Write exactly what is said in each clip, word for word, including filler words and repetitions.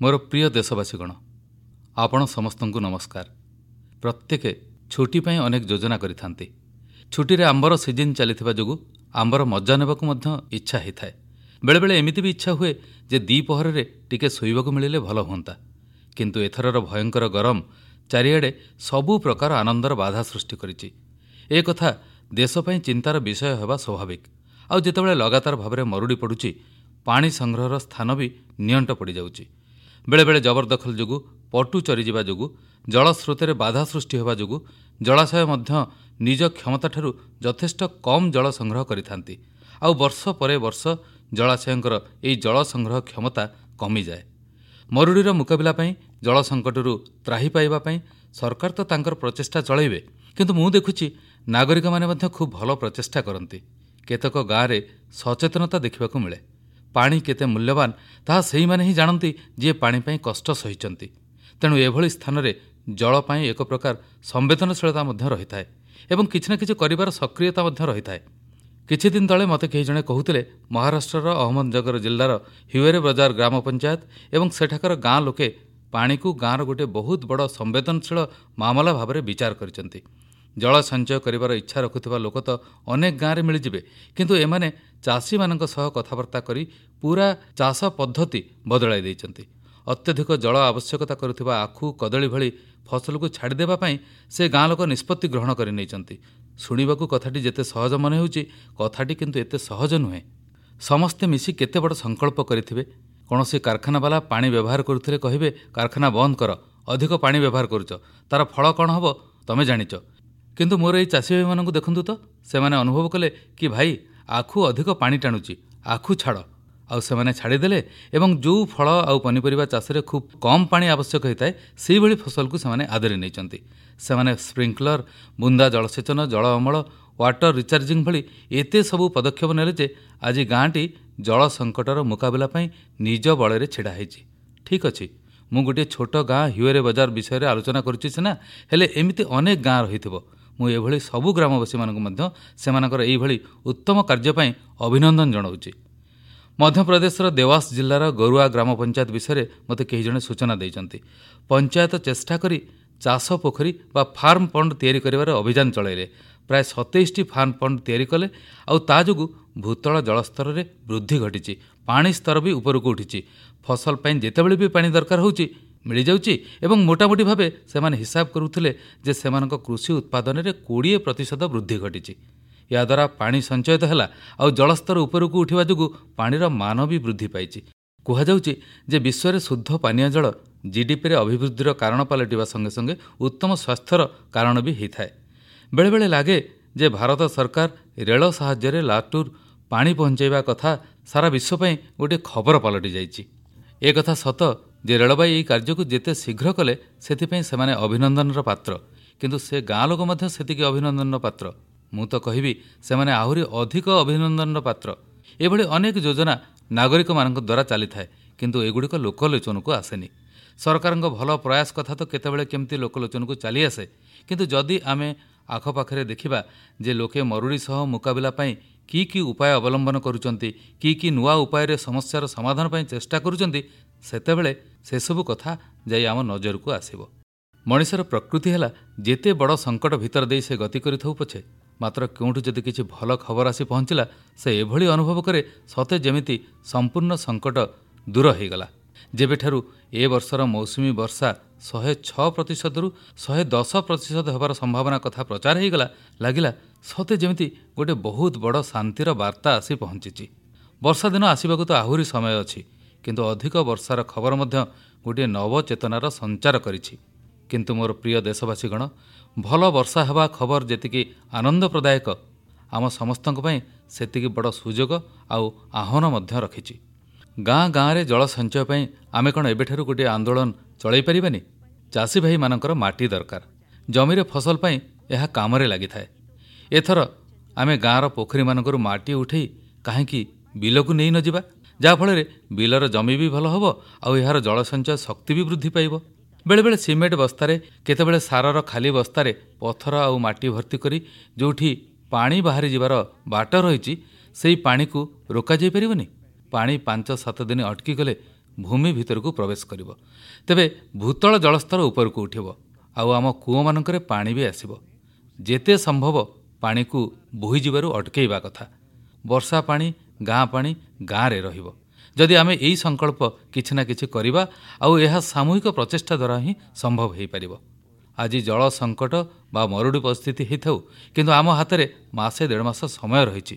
ମୋର ପ୍ରିୟ ଦେଶବାସୀଗଣ, ଆପଣ ସମସ୍ତଙ୍କୁ ନମସ୍କାର। ପ୍ରତ୍ୟେକେ ଛୁଟି ପାଇଁ ଅନେକ ଯୋଜନା କରିଥାନ୍ତି। ଛୁଟିରେ ଆମ୍ବର ସିଜିନ୍ ଚାଲିଥିବା ଯୋଗୁଁ ଆମ୍ବର ମଜା ନେବାକୁ ମଧ୍ୟ ଇଚ୍ଛା ହୋଇଥାଏ। ବେଳେବେଳେ ଏମିତି ବି ଇଚ୍ଛା ହୁଏ ଯେ ଦ୍ୱିପହରରେ ଟିକେ ଶୋଇବାକୁ ମିଳିଲେ ଭଲ ହୁଅନ୍ତା। କିନ୍ତୁ ଏଥରର ଭୟଙ୍କର ଗରମ ଚାରିଆଡ଼େ ସବୁ ପ୍ରକାର ଆନନ୍ଦର ବାଧା ସୃଷ୍ଟି କରିଛି। ଏ କଥା ଦେଶ ପାଇଁ ଚିନ୍ତାର ବିଷୟ ହେବା ସ୍ୱାଭାବିକ। ଆଉ ଯେତେବେଳେ ଲଗାତାର ଭାବରେ ମରୁଡ଼ି ପଡ଼ୁଛି, ପାଣି ସଂଗ୍ରହର ସ୍ଥାନ ବି ନିଅଣ୍ଟ ପଡ଼ିଯାଉଛି। ବେଳେବେଳେ ଜବରଦଖଲ ଯୋଗୁଁ, ପଟୁ ଚରିଯିବା ଯୋଗୁଁ, ଜଳସ୍ରୋତରେ ବାଧା ସୃଷ୍ଟି ହେବା ଯୋଗୁଁ ଜଳାଶୟ ମଧ୍ୟ ନିଜ କ୍ଷମତାଠାରୁ ଯଥେଷ୍ଟ କମ୍ ଜଳ ସଂଗ୍ରହ କରିଥାନ୍ତି। ଆଉ ବର୍ଷ ପରେ ବର୍ଷ ଜଳାଶୟଙ୍କର ଏହି ଜଳ ସଂଗ୍ରହ କ୍ଷମତା କମିଯାଏ। ମରୁଡ଼ିର ମୁକାବିଲା ପାଇଁ, ଜଳ ସଙ୍କଟରୁ ତ୍ରାହି ପାଇବା ପାଇଁ ସରକାର ତ ତାଙ୍କର ପ୍ରଚେଷ୍ଟା ଚଳାଇବେ, କିନ୍ତୁ ମୁଁ ଦେଖୁଛି ନାଗରିକମାନେ ମଧ୍ୟ ଖୁବ୍ ଭଲ ପ୍ରଚେଷ୍ଟା କରନ୍ତି। କେତେକ ଗାଁରେ ସଚେତନତା ଦେଖିବାକୁ ମିଳେ। ପାଣି କେତେ ମୂଲ୍ୟବାନ ତାହା ସେଇମାନେ ହିଁ ଜାଣନ୍ତି ଯିଏ ପାଣି ପାଇଁ କଷ୍ଟ ସହିଛନ୍ତି। ତେଣୁ ଏଭଳି ସ୍ଥାନରେ ଜଳ ପାଇଁ ଏକ ପ୍ରକାର ସମ୍ବେଦନଶୀଳତା ମଧ୍ୟ ରହିଥାଏ ଏବଂ କିଛି ନା କିଛି କରିବାର ସକ୍ରିୟତା ମଧ୍ୟ ରହିଥାଏ। କିଛି ଦିନ ତଳେ ମୋତେ କେହି ଜଣେ କହୁଥିଲେ, ମହାରାଷ୍ଟ୍ରର ଅହମ୍ମଦନଗର ଜିଲ୍ଲାର ହିୱେରେ ବଜାର ଗ୍ରାମ ପଞ୍ଚାୟତ ଏବଂ ସେଠାକାର ଗାଁ ଲୋକେ ପାଣିକୁ ଗାଁର ଗୋଟିଏ ବହୁତ ବଡ଼ ସମ୍ବେଦନଶୀଳ ମାମଲା ଭାବରେ ବିଚାର କରିଛନ୍ତି। ଜଳ ସଞ୍ଚୟ କରିବାର ଇଚ୍ଛା ରଖୁଥିବା ଲୋକ ତ ଅନେକ ଗାଁରେ ମିଳିଯିବେ, କିନ୍ତୁ ଏମାନେ ଚାଷୀମାନଙ୍କ ସହ କଥାବାର୍ତ୍ତା କରି ପୁରା ଚାଷ ପଦ୍ଧତି ବଦଳାଇ ଦେଇଛନ୍ତି। ଅତ୍ୟଧିକ ଜଳ ଆବଶ୍ୟକତା କରୁଥିବା ଆଖୁ, କଦଳୀ ଭଳି ଫସଲକୁ ଛାଡ଼ିଦେବା ପାଇଁ ସେ ଗାଁ ଲୋକ ନିଷ୍ପତ୍ତି ଗ୍ରହଣ କରିନେଇଛନ୍ତି। ଶୁଣିବାକୁ କଥାଟି ଯେତେ ସହଜ ମନେ ହେଉଛି, କଥାଟି କିନ୍ତୁ ଏତେ ସହଜ ନୁହେଁ। ସମସ୍ତେ ମିଶି କେତେ ବଡ଼ ସଂକଳ୍ପ କରିଥିବେ। କୌଣସି କାରଖାନାବାଲା ପାଣି ବ୍ୟବହାର କରୁଥିଲେ କହିବେ, କାରଖାନା ବନ୍ଦ କର, ଅଧିକ ପାଣି ବ୍ୟବହାର କରୁଛ, ତାର ଫଳ କ'ଣ ହେବ ତମେ ଜାଣିଛ। କିନ୍ତୁ ମୋର ଏଇ ଚାଷୀ ଭାଇମାନଙ୍କୁ ଦେଖନ୍ତୁ ତ, ସେମାନେ ଅନୁଭବ କଲେ କି ଭାଇ ଆଖୁ ଅଧିକ ପାଣି ଟାଣୁଛି, ଆଖୁ ଛାଡ଼। ଆଉ ସେମାନେ ଛାଡ଼ିଦେଲେ ଏବଂ ଯେଉଁ ଫଳ ଆଉ ପନିପରିବା ଚାଷରେ ଖୁବ୍ କମ୍ ପାଣି ଆବଶ୍ୟକ ହୋଇଥାଏ ସେଇଭଳି ଫସଲକୁ ସେମାନେ ଆଦରି ନେଇଛନ୍ତି। ସେମାନେ ସ୍ପ୍ରିଙ୍କଲର, ବୁନ୍ଦା ଜଳସେଚନ, ଜଳ ଅମଳ, ୱାଟର ରିଚାର୍ଜିଂ ଭଳି ଏତେ ସବୁ ପଦକ୍ଷେପ ନେଲେ ଯେ ଆଜି ଗାଁଟି ଜଳ ସଙ୍କଟର ମୁକାବିଲା ପାଇଁ ନିଜ ବଳରେ ଛିଡ଼ା ହେଇଛି। ଠିକ୍ ଅଛି, ମୁଁ ଗୋଟିଏ ଛୋଟ ଗାଁ ହିୱେରେ ବଜାର ବିଷୟରେ ଆଲୋଚନା କରୁଛି ସିନା, ହେଲେ ଏମିତି ଅନେକ ଗାଁ ରହିଥିବ। ମୁଁ ଏଭଳି ସବୁ ଗ୍ରାମବାସୀମାନଙ୍କୁ ମଧ୍ୟ ସେମାନଙ୍କର ଏଇଭଳି ଉତ୍ତମ କାର୍ଯ୍ୟ ପାଇଁ ଅଭିନନ୍ଦନ ଜଣାଉଛି। ମଧ୍ୟପ୍ରଦେଶର ଦେୱାସ ଜିଲ୍ଲାର ଗରୁଆ ଗ୍ରାମ ପଞ୍ଚାୟତ ବିଷୟରେ ମୋତେ କେହି ଜଣେ ସୂଚନା ଦେଇଛନ୍ତି। ପଞ୍ଚାୟତ ଚେଷ୍ଟା କରି ଚାଷ ପୋଖରୀ ବା ଫାର୍ମ ପଣ୍ଡ ତିଆରି କରିବାର ଅଭିଯାନ ଚଳାଇଲେ। ପ୍ରାୟ ସତେଇଶଟି ଫାର୍ମ ପଣ୍ଡ ତିଆରି କଲେ ଆଉ ତା ଯୋଗୁଁ ଭୂତଳ ଜଳସ୍ତରରେ ବୃଦ୍ଧି ଘଟିଛି, ପାଣି ସ୍ତର ବି ଉପରକୁ ଉଠିଛି। ଫସଲ ପାଇଁ ଯେତେବେଳେ ବି ପାଣି ଦରକାର ହେଉଛି ମିଳିଯାଉଛି ଏବଂ ମୋଟାମୋଟି ଭାବେ ସେମାନେ ହିସାବ କରୁଥିଲେ ଯେ ସେମାନଙ୍କ କୃଷି ଉତ୍ପାଦନରେ କୋଡ଼ିଏ ପ୍ରତିଶତ ବୃଦ୍ଧି ଘଟିଛି। ଏହାଦ୍ୱାରା ପାଣି ସଞ୍ଚୟ ତ ହେଲା, ଆଉ ଜଳସ୍ତର ଉପରକୁ ଉଠିବା ଯୋଗୁଁ ପାଣିର ମାନ ବି ବୃଦ୍ଧି ପାଇଛି। କୁହାଯାଉଛି ଯେ ବିଶ୍ୱରେ ଶୁଦ୍ଧ ପାନୀୟ ଜଳ ଜିଡିପିରେ ଅଭିବୃଦ୍ଧିର କାରଣ ପାଲଟିବା ସଙ୍ଗେ ସଙ୍ଗେ ଉତ୍ତମ ସ୍ୱାସ୍ଥ୍ୟର କାରଣ ବି ହୋଇଥାଏ। ବେଳେବେଳେ ଲାଗେ ଯେ ଭାରତ ସରକାର ରେଳ ସାହାଯ୍ୟରେ ଲାଟୁର ପାଣି ପହଞ୍ଚାଇବା କଥା ସାରା ବିଶ୍ୱ ପାଇଁ ଗୋଟିଏ ଖବର ପାଲଟି ଯାଇଛି। ଏକଥା ସତ ଯେ ରେଳବାଇ ଏହି କାର୍ଯ୍ୟକୁ ଯେତେ ଶୀଘ୍ର କଲେ ସେଥିପାଇଁ ସେମାନେ ଅଭିନନ୍ଦନର ପାତ୍ର, କିନ୍ତୁ ସେ ଗାଁ ଲୋକ ମଧ୍ୟ ସେତିକି ଅଭିନନ୍ଦନର ପାତ୍ର। ମୁଁ ତ କହିବି ସେମାନେ ଆହୁରି ଅଧିକ ଅଭିନନ୍ଦନର ପାତ୍ର। ଏଭଳି ଅନେକ ଯୋଜନା ନାଗରିକମାନଙ୍କ ଦ୍ୱାରା ଚାଲିଥାଏ, କିନ୍ତୁ ଏଗୁଡ଼ିକ ଲୋକଲୋଚନକୁ ଆସେନି। ସରକାରଙ୍କ ଭଲ ପ୍ରୟାସ କଥା ତ କେତେବେଳେ କେମିତି ଲୋକଲୋଚନକୁ ଚାଲିଆସେ, କିନ୍ତୁ ଯଦି ଆମେ ଆଖପାଖରେ ଦେଖିବା ଯେ ଲୋକେ ମରୁଡ଼ି ସହ ମୁକାବିଲା ପାଇଁ କି କି ଉପାୟ ଅବଲମ୍ବନ କରୁଛନ୍ତି, କି କି ନୂଆ ଉପାୟରେ ସମସ୍ୟାର ସମାଧାନ ପାଇଁ ଚେଷ୍ଟା କରୁଛନ୍ତି, ସେତେବେଳେ ସେସବୁ କଥା ଯାଇ ଆମ ନଜରକୁ ଆସିବ। ମଣିଷର ପ୍ରକୃତି ହେଲା ଯେତେ ବଡ଼ ସଙ୍କଟ ଭିତର ଦେଇ ସେ ଗତି କରିଥାଉ ପଛେ, ମାତ୍ର କେଉଁଠୁ ଯଦି କିଛି ଭଲ ଖବର ଆସି ପହଞ୍ଚିଲା ସେ ଏଭଳି ଅନୁଭବ କରେ ସତେ ଯେମିତି ସମ୍ପୂର୍ଣ୍ଣ ସଙ୍କଟ ଦୂର ହୋଇଗଲା। ଯେବେଠାରୁ ଏ ବର୍ଷର ମୌସୁମୀ ବର୍ଷା ଶହେ ଛଅ ପ୍ରତିଶତରୁ ଶହେ ଦଶ ପ୍ରତିଶତ ହେବାର ସମ୍ଭାବନା କଥା ପ୍ରଚାର ହୋଇଗଲା, ଲାଗିଲା ସତେ ଯେମିତି ଗୋଟେ ବହୁତ ବଡ଼ ଶାନ୍ତିର ବାର୍ତ୍ତା ଆସି ପହଞ୍ଚିଛି। ବର୍ଷା ଦିନ ଆସିବାକୁ ତ ଆହୁରି ସମୟ ଅଛି, କିନ୍ତୁ ଅଧିକ ବର୍ଷାର ଖବର ମଧ୍ୟ ଗୋଟିଏ ନବଚେତନାର ସଞ୍ଚାର କରିଛି। କିନ୍ତୁ ମୋର ପ୍ରିୟ ଦେଶବାସୀଗଣ, ଭଲ ବର୍ଷା ହେବା ଖବର ଯେତିକି ଆନନ୍ଦ ପ୍ରଦାୟକ, ଆମ ସମସ୍ତଙ୍କ ପାଇଁ ସେତିକି ବଡ଼ ସୁଯୋଗ ଆଉ ଆହ୍ୱାନ ମଧ୍ୟ ରଖିଛି। ଗାଁ ଗାଁରେ ଜଳ ସଞ୍ଚୟ ପାଇଁ ଆମେ କ'ଣ ଏବେଠାରୁ ଗୋଟିଏ ଆନ୍ଦୋଳନ ଚଳାଇ ପାରିବାନି? ଚାଷୀ ଭାଇମାନଙ୍କର ମାଟି ଦରକାର, ଜମିରେ ଫସଲ ପାଇଁ ଏହା କାମରେ ଲାଗିଥାଏ। ଏଥର ଆମେ ଗାଁର ପୋଖରୀମାନଙ୍କରୁ ମାଟି ଉଠେଇ କାହିଁକି ବିଲକୁ ନେଇ ନଯିବା, ଯାହାଫଳରେ ବିଲର ଜମି ବି ଭଲ ହେବ ଆଉ ଏହାର ଜଳସଞ୍ଚୟ ଶକ୍ତି ବି ବୃଦ୍ଧି ପାଇବ। ବେଳେବେଳେ ସିମେଣ୍ଟ ବସ୍ତାରେ, କେତେବେଳେ ସାରର ଖାଲି ବସ୍ତାରେ ପଥର ଆଉ ମାଟି ଭର୍ତ୍ତି କରି ଯେଉଁଠି ପାଣି ବାହାରି ଯିବାର ବାଟ ରହିଛି ସେଇ ପାଣିକୁ ରୋକାଯାଇପାରିବନି? ପାଣି ପାଞ୍ଚ ସାତ ଦିନ ଅଟକିଗଲେ ଭୂମି ଭିତରକୁ ପ୍ରବେଶ କରିବ। ତେବେ ଭୂତଳ ଜଳସ୍ତର ଉପରକୁ ଉଠିବ ଆଉ ଆମ କୂଅମାନଙ୍କରେ ପାଣି ବି ଆସିବ। ଯେତେ ସମ୍ଭବ ପାଣିକୁ ବୋହିଯିବାରୁ ଅଟକେଇବା କଥା। ବର୍ଷା ପାଣି, ଗାଁ ପାଣି ଗାଁରେ ରହିବ। ଯଦି ଆମେ ଏହି ସଂକଳ୍ପ କିଛି ନା କିଛି କରିବା, ଆଉ ଏହା ସାମୂହିକ ପ୍ରଚେଷ୍ଟା ଦ୍ୱାରା ହିଁ ସମ୍ଭବ ହୋଇପାରିବ। ଆଜି ଜଳ ସଙ୍କଟ ବା ମରୁଡ଼ି ପରିସ୍ଥିତି ହେଇଥାଉ, କିନ୍ତୁ ଆମ ହାତରେ ମାସେ ଦେଢ଼ ମାସ ସମୟ ରହିଛି।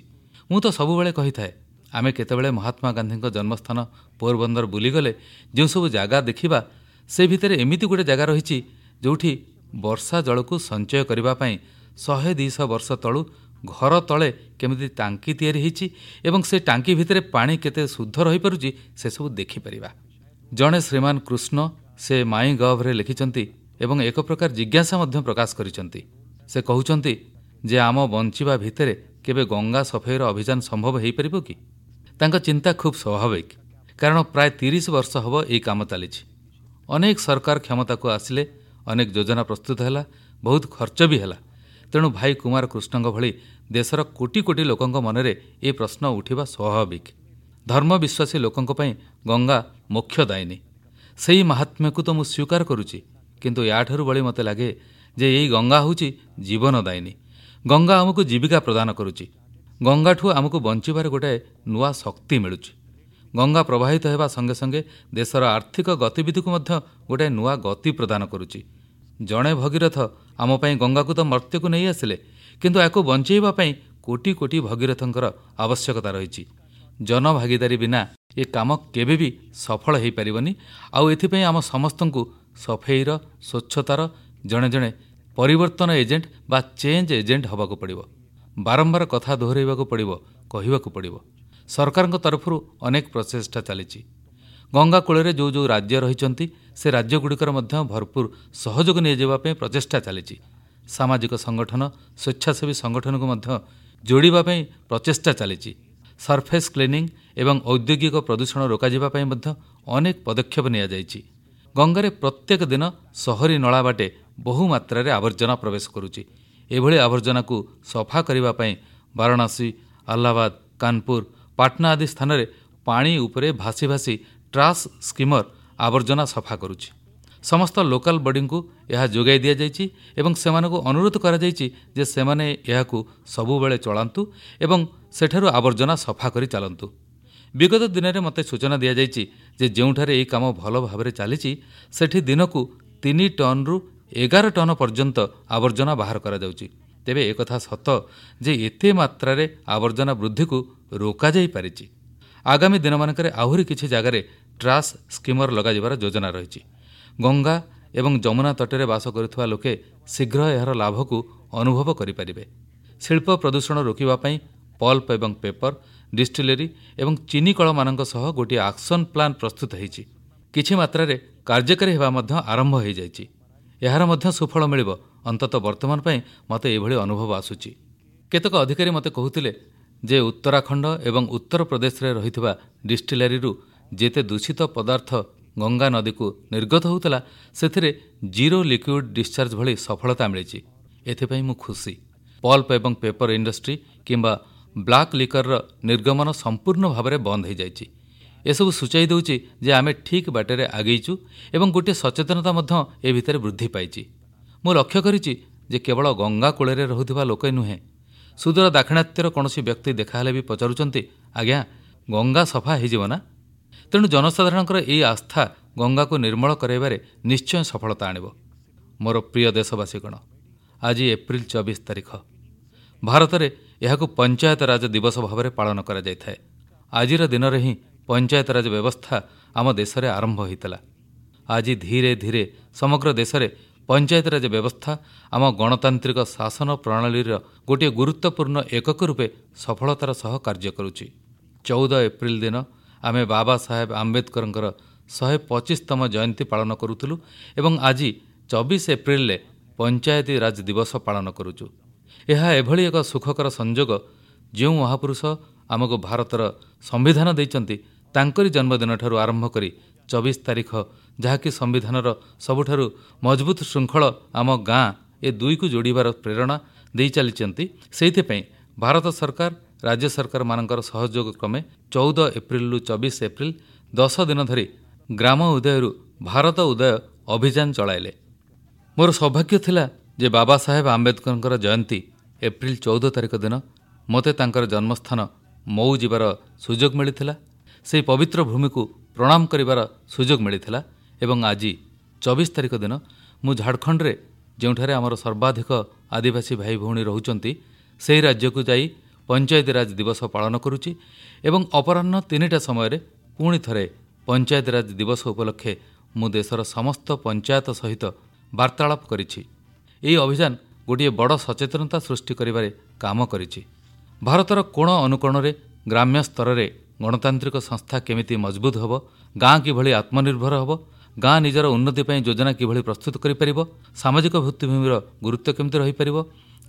ମୁଁ ତ ସବୁବେଳେ କହିଥାଏ, ଆମେ କେତେବେଳେ ମହାତ୍ମା ଗାନ୍ଧୀଙ୍କ ଜନ୍ମସ୍ଥାନ ପୋରବନ୍ଦର ବୁଲିଗଲେ ଯେଉଁ ସବୁ ଜାଗା ଦେଖିବା, ସେ ଭିତରେ ଏମିତି ଗୋଟେ ଜାଗା ରହିଛି ଯେଉଁଠି ବର୍ଷା ଜଳକୁ ସଞ୍ଚୟ କରିବା ପାଇଁ ଶହେ ଦୁଇଶହ ବର୍ଷ ତଳୁ ଘର ତଳେ କେମିତି ଟାଙ୍କି ତିଆରି ହେଇଛି ଏବଂ ସେ ଟାଙ୍କି ଭିତରେ ପାଣି କେତେ ଶୁଦ୍ଧ ରହିପାରୁଛି ସେସବୁ ଦେଖିପାରିବା। ଜଣେ ଶ୍ରୀମାନ କୃଷ୍ଣ ସେ ମାଇ ଗଭ୍ରେ ଲେଖିଛନ୍ତି ଏବଂ ଏକ ପ୍ରକାର ଜିଜ୍ଞାସା ମଧ୍ୟ ପ୍ରକାଶ କରିଛନ୍ତି। ସେ କହୁଛନ୍ତି ଯେ ଆମ ବଞ୍ଚିବା ଭିତରେ କେବେ ଗଙ୍ଗା ସଫେଇର ଅଭିଯାନ ସମ୍ଭବ ହୋଇପାରିବ କି? ତାଙ୍କ ଚିନ୍ତା ଖୁବ୍ ସ୍ୱାଭାବିକ, କାରଣ ପ୍ରାୟ ତିରିଶ ବର୍ଷ ହେବ ଏହି କାମ ଚାଲିଛି। ଅନେକ ସରକାର କ୍ଷମତାକୁ ଆସିଲେ, ଅନେକ ଯୋଜନା ପ୍ରସ୍ତୁତ ହେଲା, ବହୁତ ଖର୍ଚ୍ଚ ବି ହେଲା। ତେଣୁ ଭାଇ କୁମାର କୃଷ୍ଣଙ୍କ ଭଳି ଦେଶର କୋଟି କୋଟି ଲୋକଙ୍କ ମନରେ ଏ ପ୍ରଶ୍ନ ଉଠିବା ସ୍ୱାଭାବିକ। ଧର୍ମବିଶ୍ୱାସୀ ଲୋକଙ୍କ ପାଇଁ ଗଙ୍ଗା ମୋକ୍ଷଦାୟିନୀ, ସେହି ମାହାତ୍ମ୍ୟକୁ ତ ମୁଁ ସ୍ୱୀକାର କରୁଛି, କିନ୍ତୁ ୟାଠାରୁ ବଳି ମୋତେ ଲାଗେ ଯେ ଏଇ ଗଙ୍ଗା ହେଉଛି ଜୀବନଦାୟିନୀ। ଗଙ୍ଗା ଆମକୁ ଜୀବିକା ପ୍ରଦାନ କରୁଛି। ଗଙ୍ଗାଠୁ ଆମକୁ ବଞ୍ଚିବାର ଗୋଟାଏ ନୂଆ ଶକ୍ତି ମିଳୁଛି। ଗଙ୍ଗା ପ୍ରବାହିତ ହେବା ସଙ୍ଗେ ସଙ୍ଗେ ଦେଶର ଆର୍ଥିକ ଗତିବିଧିକୁ ମଧ୍ୟ ଗୋଟାଏ ନୂଆ ଗତି ପ୍ରଦାନ କରୁଛି। ଜଣେ ଭଗୀରଥ ଆମ ପାଇଁ ଗଙ୍ଗାକୁ ତ ମର୍ତ୍ତ୍ୟକୁ ନେଇ ଆସିଲେ, କିନ୍ତୁ ଏହାକୁ ବଞ୍ଚେଇବା ପାଇଁ କୋଟି କୋଟି ଭଗୀରଥଙ୍କର ଆବଶ୍ୟକତା ରହିଛି। ଜନଭାଗିଦାରୀ ବିନା ଏ କାମ କେବେ ବି ସଫଳ ହୋଇପାରିବନି। ଆଉ ଏଥିପାଇଁ ଆମ ସମସ୍ତଙ୍କୁ ସଫେଇର, ସ୍ୱଚ୍ଛତାର ଜଣେ ଜଣେ ପରିବର୍ତ୍ତନ ଏଜେଣ୍ଟ ବା ଚେଞ୍ଜ ଏଜେଣ୍ଟ ହେବାକୁ ପଡ଼ିବ। ବାରମ୍ବାର କଥା ଦୋହରାଇବାକୁ ପଡ଼ିବ, କହିବାକୁ ପଡ଼ିବ। ସରକାରଙ୍କ ତରଫରୁ ଅନେକ ପ୍ରଚେଷ୍ଟା ଚାଲିଛି। ଗଙ୍ଗା କୂଳରେ ଯେଉଁ ଯେଉଁ ରାଜ୍ୟ ରହିଛନ୍ତି, ସେ ରାଜ୍ୟଗୁଡ଼ିକର ମଧ୍ୟ ଭରପୁର ସହଯୋଗ ନିଆଯିବା ପାଇଁ ପ୍ରଚେଷ୍ଟା ଚାଲିଛି। ସାମାଜିକ ସଂଗଠନ, ସ୍ୱେଚ୍ଛାସେବୀ ସଂଗଠନକୁ ମଧ୍ୟ ଯୋଡ଼ିବା ପାଇଁ ପ୍ରଚେଷ୍ଟା ଚାଲିଛି। ସର୍ଫେସ୍ କ୍ଲିନିଂ ଏବଂ ଔଦ୍ୟୋଗିକ ପ୍ରଦୂଷଣ ରୋକାଯିବା ପାଇଁ ମଧ୍ୟ ଅନେକ ପଦକ୍ଷେପ ନିଆଯାଇଛି। ଗଙ୍ଗାରେ ପ୍ରତ୍ୟେକ ଦିନ ସହରୀ ନଳା ବାଟେ ବହୁ ମାତ୍ରାରେ ଆବର୍ଜନା ପ୍ରବେଶ କରୁଛି। ଏଭଳି ଆବର୍ଜନାକୁ ସଫା କରିବା ପାଇଁ ବାରାଣସୀ, ଆହ୍ଲାବାଦ, କାନପୁର, ପାଟନା ଆଦି ସ୍ଥାନରେ ପାଣି ଉପରେ ଭାସି ଭାସି ଟ୍ରାସ୍ ସ୍କିମର ଆବର୍ଜନା ସଫା କରୁଛି। ସମସ୍ତ ଲୋକାଲ ବଡିଙ୍କୁ ଏହା ଯୋଗାଇ ଦିଆଯାଇଛି ଏବଂ ସେମାନଙ୍କୁ ଅନୁରୋଧ କରାଯାଇଛି ଯେ ସେମାନେ ଏହାକୁ ସବୁବେଳେ ଚଳାନ୍ତୁ ଏବଂ ସେଠାରୁ ଆବର୍ଜନା ସଫା କରି ଚାଲନ୍ତୁ। ବିଗତ ଦିନରେ ମୋତେ ସୂଚନା ଦିଆଯାଇଛି ଯେ ଯେଉଁଠାରେ ଏହି କାମ ଭଲ ଭାବରେ ଚାଲିଛି, ସେଠି ଦିନକୁ ତିନି ଟନ୍ରୁ ଏଗାର ଟନ୍ ପର୍ଯ୍ୟନ୍ତ ଆବର୍ଜନା ବାହାର କରାଯାଉଛି। ତେବେ ଏକଥା ସତ ଯେ ଏତେ ମାତ୍ରାରେ ଆବର୍ଜନା ବୃଦ୍ଧିକୁ ରୋକାଯାଇପାରିଛି। ଆଗାମୀ ଦିନମାନଙ୍କରେ ଆହୁରି କିଛି ଜାଗାରେ ଟ୍ରାସ୍ ସ୍କିମର ଲଗାଯିବାର ଯୋଜନା ରହିଛି। ଗଙ୍ଗା ଏବଂ ଯମୁନା ତଟରେ ବାସ କରୁଥିବା ଲୋକେ ଶୀଘ୍ର ଏହାର ଲାଭକୁ ଅନୁଭବ କରିପାରିବେ। ଶିଳ୍ପ ପ୍ରଦୂଷଣ ରୋକିବା ପାଇଁ ପଲ୍ପ ଏବଂ ପେପର, ଡିଷ୍ଟିଲେରୀ ଏବଂ ଚିନିକଳମାନଙ୍କ ସହ ଗୋଟିଏ ଆକ୍ସନ୍ ପ୍ଲାନ୍ ପ୍ରସ୍ତୁତ ହୋଇଛି। କିଛି ମାତ୍ରାରେ କାର୍ଯ୍ୟକାରୀ ହେବା ମଧ୍ୟ ଆରମ୍ଭ ହୋଇଯାଇଛି। ଏହାର ମଧ୍ୟ ସୁଫଳ ମିଳିବ। ଅନ୍ତତଃ ବର୍ତ୍ତମାନ ପାଇଁ ମୋତେ ଏଭଳି ଅନୁଭବ ଆସୁଛି। କେତେକ ଅଧିକାରୀ ମୋତେ କହୁଥିଲେ ଯେ ଉତ୍ତରାଖଣ୍ଡ ଏବଂ ଉତ୍ତରପ୍ରଦେଶରେ ରହିଥିବା ଡିଷ୍ଟିଲାରୀରୁ ଯେତେ ଦୂଷିତ ପଦାର୍ଥ ଗଙ୍ଗା ନଦୀକୁ ନିର୍ଗତ ହେଉଥିଲା, ସେଥିରେ ଜିରୋ ଲିକ୍ୱିଡ୍ ଡିସଚାର୍ଜ ଭଳି ସଫଳତା ମିଳିଛି। ଏଥିପାଇଁ ମୁଁ ଖୁସି। ପଲ୍ପ ଏବଂ ପେପର ଇଣ୍ଡଷ୍ଟ୍ରି କିମ୍ବା ବ୍ଲାକ୍ ଲିକରର ନିର୍ଗମନ ସମ୍ପୂର୍ଣ୍ଣ ଭାବରେ ବନ୍ଦ ହୋଇଯାଇଛି। ଏସବୁ ସୂଚାଇ ଦେଉଛି ଯେ ଆମେ ଠିକ୍ ବାଟରେ ଆଗେଇଛୁ ଏବଂ ଗୋଟିଏ ସଚେତନତା ମଧ୍ୟ ଏ ଭିତରେ ବୃଦ୍ଧି ପାଇଛି। ମୁଁ ଲକ୍ଷ୍ୟ କରିଛି ଯେ କେବଳ ଗଙ୍ଗା କୂଳରେ ରହୁଥିବା ଲୋକେ ନୁହେଁ, ସୁଦୂର ଦାକ୍ଷିଣାତ୍ୟର କୌଣସି ବ୍ୟକ୍ତି ଦେଖାହେଲେ ବି ପଚାରୁଛନ୍ତି, ଆଜ୍ଞା ଗଙ୍ଗା ସଫା ହୋଇଯିବ ନା? ତେଣୁ ଜନସାଧାରଣଙ୍କର ଏହି ଆସ୍ଥା ଗଙ୍ଗାକୁ ନିର୍ମଳ କରାଇବାରେ ନିଶ୍ଚୟ ସଫଳତା ଆଣିବ। ମୋର ପ୍ରିୟ ଦେଶବାସୀଗଣ, ଆଜି ଏପ୍ରିଲ ଚବିଶ ତାରିଖ। ଭାରତରେ ଏହାକୁ ପଞ୍ଚାୟତରାଜ ଦିବସ ଭାବରେ ପାଳନ କରାଯାଇଥାଏ। ଆଜିର ଦିନରେ ହିଁ ପଞ୍ଚାୟତରାଜ ବ୍ୟବସ୍ଥା ଆମ ଦେଶରେ ଆରମ୍ଭ ହୋଇଥିଲା। ଆଜି ଧୀରେ ଧୀରେ ସମଗ୍ର ଦେଶରେ ପଞ୍ଚାୟତରାଜ ବ୍ୟବସ୍ଥା ଆମ ଗଣତାନ୍ତ୍ରିକ ଶାସନ ପ୍ରଣାଳୀର ଗୋଟିଏ ଗୁରୁତ୍ୱପୂର୍ଣ୍ଣ ଏକକ ରୂପେ ସଫଳତାର ସହ କାର୍ଯ୍ୟ କରୁଛି। ଚଉଦ ଏପ୍ରିଲ ଦିନ ଆମେ ବାବା ସାହେବ ଆମ୍ବେଦକରଙ୍କର ଶହେ ପଚିଶତମ ଜୟନ୍ତୀ ପାଳନ କରୁଥିଲୁ ଏବଂ ଆଜି ଚବିଶ ଏପ୍ରିଲରେ ପଞ୍ଚାୟତି ରାଜ ଦିବସ ପାଳନ କରୁଛୁ। ଏହା ଏଭଳି ଏକ ସୁଖକର ସଂଯୋଗ, ଯେଉଁ ମହାପୁରୁଷ ଆମକୁ ଭାରତର ସମ୍ବିଧାନ ଦେଇଛନ୍ତି, ତାଙ୍କରି ଜନ୍ମଦିନଠାରୁ ଆରମ୍ଭ କରି ଚବିଶ ତାରିଖ, ଯାହାକି ସମ୍ବିଧାନର ସବୁଠାରୁ ମଜବୁତ ଶୃଙ୍ଖଳ ଆମ ଗାଁ, ଏ ଦୁଇକୁ ଯୋଡ଼ିବାର ପ୍ରେରଣା ଦେଇ ଚାଲିଛନ୍ତି। ସେଇଥିପାଇଁ ଭାରତ ସରକାର, ରାଜ୍ୟ ସରକାରମାନଙ୍କର ସହଯୋଗ କ୍ରମେ ଚଉଦ ଏପ୍ରିଲରୁ ଚବିଶ ଏପ୍ରିଲ ଦଶ ଦିନ ଧରି ଗ୍ରାମ ଉଦୟରୁ ଭାରତ ଉଦୟ ଅଭିଯାନ ଚଳାଇଲେ। ମୋର ସୌଭାଗ୍ୟ ଥିଲା ଯେ ବାବା ସାହେବ ଆମ୍ବେଦକରଙ୍କର ଜୟନ୍ତୀ ଏପ୍ରିଲ ଚଉଦ ତାରିଖ ଦିନ ମୋତେ ତାଙ୍କର ଜନ୍ମସ୍ଥାନ ମଉ ଯିବାର ସୁଯୋଗ ମିଳିଥିଲା, ସେହି ପବିତ୍ର ଭୂମିକୁ ପ୍ରଣାମ କରିବାର ସୁଯୋଗ ମିଳିଥିଲା। ଏବଂ ଆଜି ଚବିଶ ତାରିଖ ଦିନ ମୁଁ ଝାଡ଼ଖଣ୍ଡରେ, ଯେଉଁଠାରେ ଆମର ସର୍ବାଧିକ ଆଦିବାସୀ ଭାଇ ଭଉଣୀ ରହୁଛନ୍ତି, ସେହି ରାଜ୍ୟକୁ ଯାଇ ପଞ୍ଚାୟତିରାଜ ଦିବସ ପାଳନ କରୁଛି ଏବଂ ଅପରାହ୍ନ ତିନିଟା ସମୟରେ ପୁଣି ଥରେ ପଞ୍ଚାୟତିରାଜ ଦିବସ ଉପଲକ୍ଷେ ମୁଁ ଦେଶର ସମସ୍ତ ପଞ୍ଚାୟତ ସହିତ ବାର୍ତ୍ତାଳାପ କରିଛି। ଏହି ଅଭିଯାନ ଗୋଟିଏ ବଡ଼ ସଚେତନତା ସୃଷ୍ଟି କରିବାରେ କାମ କରିଛି। ଭାରତର କୋଣ ଅନୁକୋଣରେ ଗ୍ରାମ୍ୟ ସ୍ତରରେ ଗଣତାନ୍ତ୍ରିକ ସଂସ୍ଥା କେମିତି ମଜବୁତ ହେବ, ଗାଁ କିଭଳି ଆତ୍ମନିର୍ଭର ହେବ, ଗାଁ ନିଜର ଉନ୍ନତି ପାଇଁ ଯୋଜନା କିଭଳି ପ୍ରସ୍ତୁତ କରିପାରିବ, ସାମାଜିକ ଭିତ୍ତିଭୂମିର ଗୁରୁତ୍ୱ କେମିତି ରହିପାରିବ,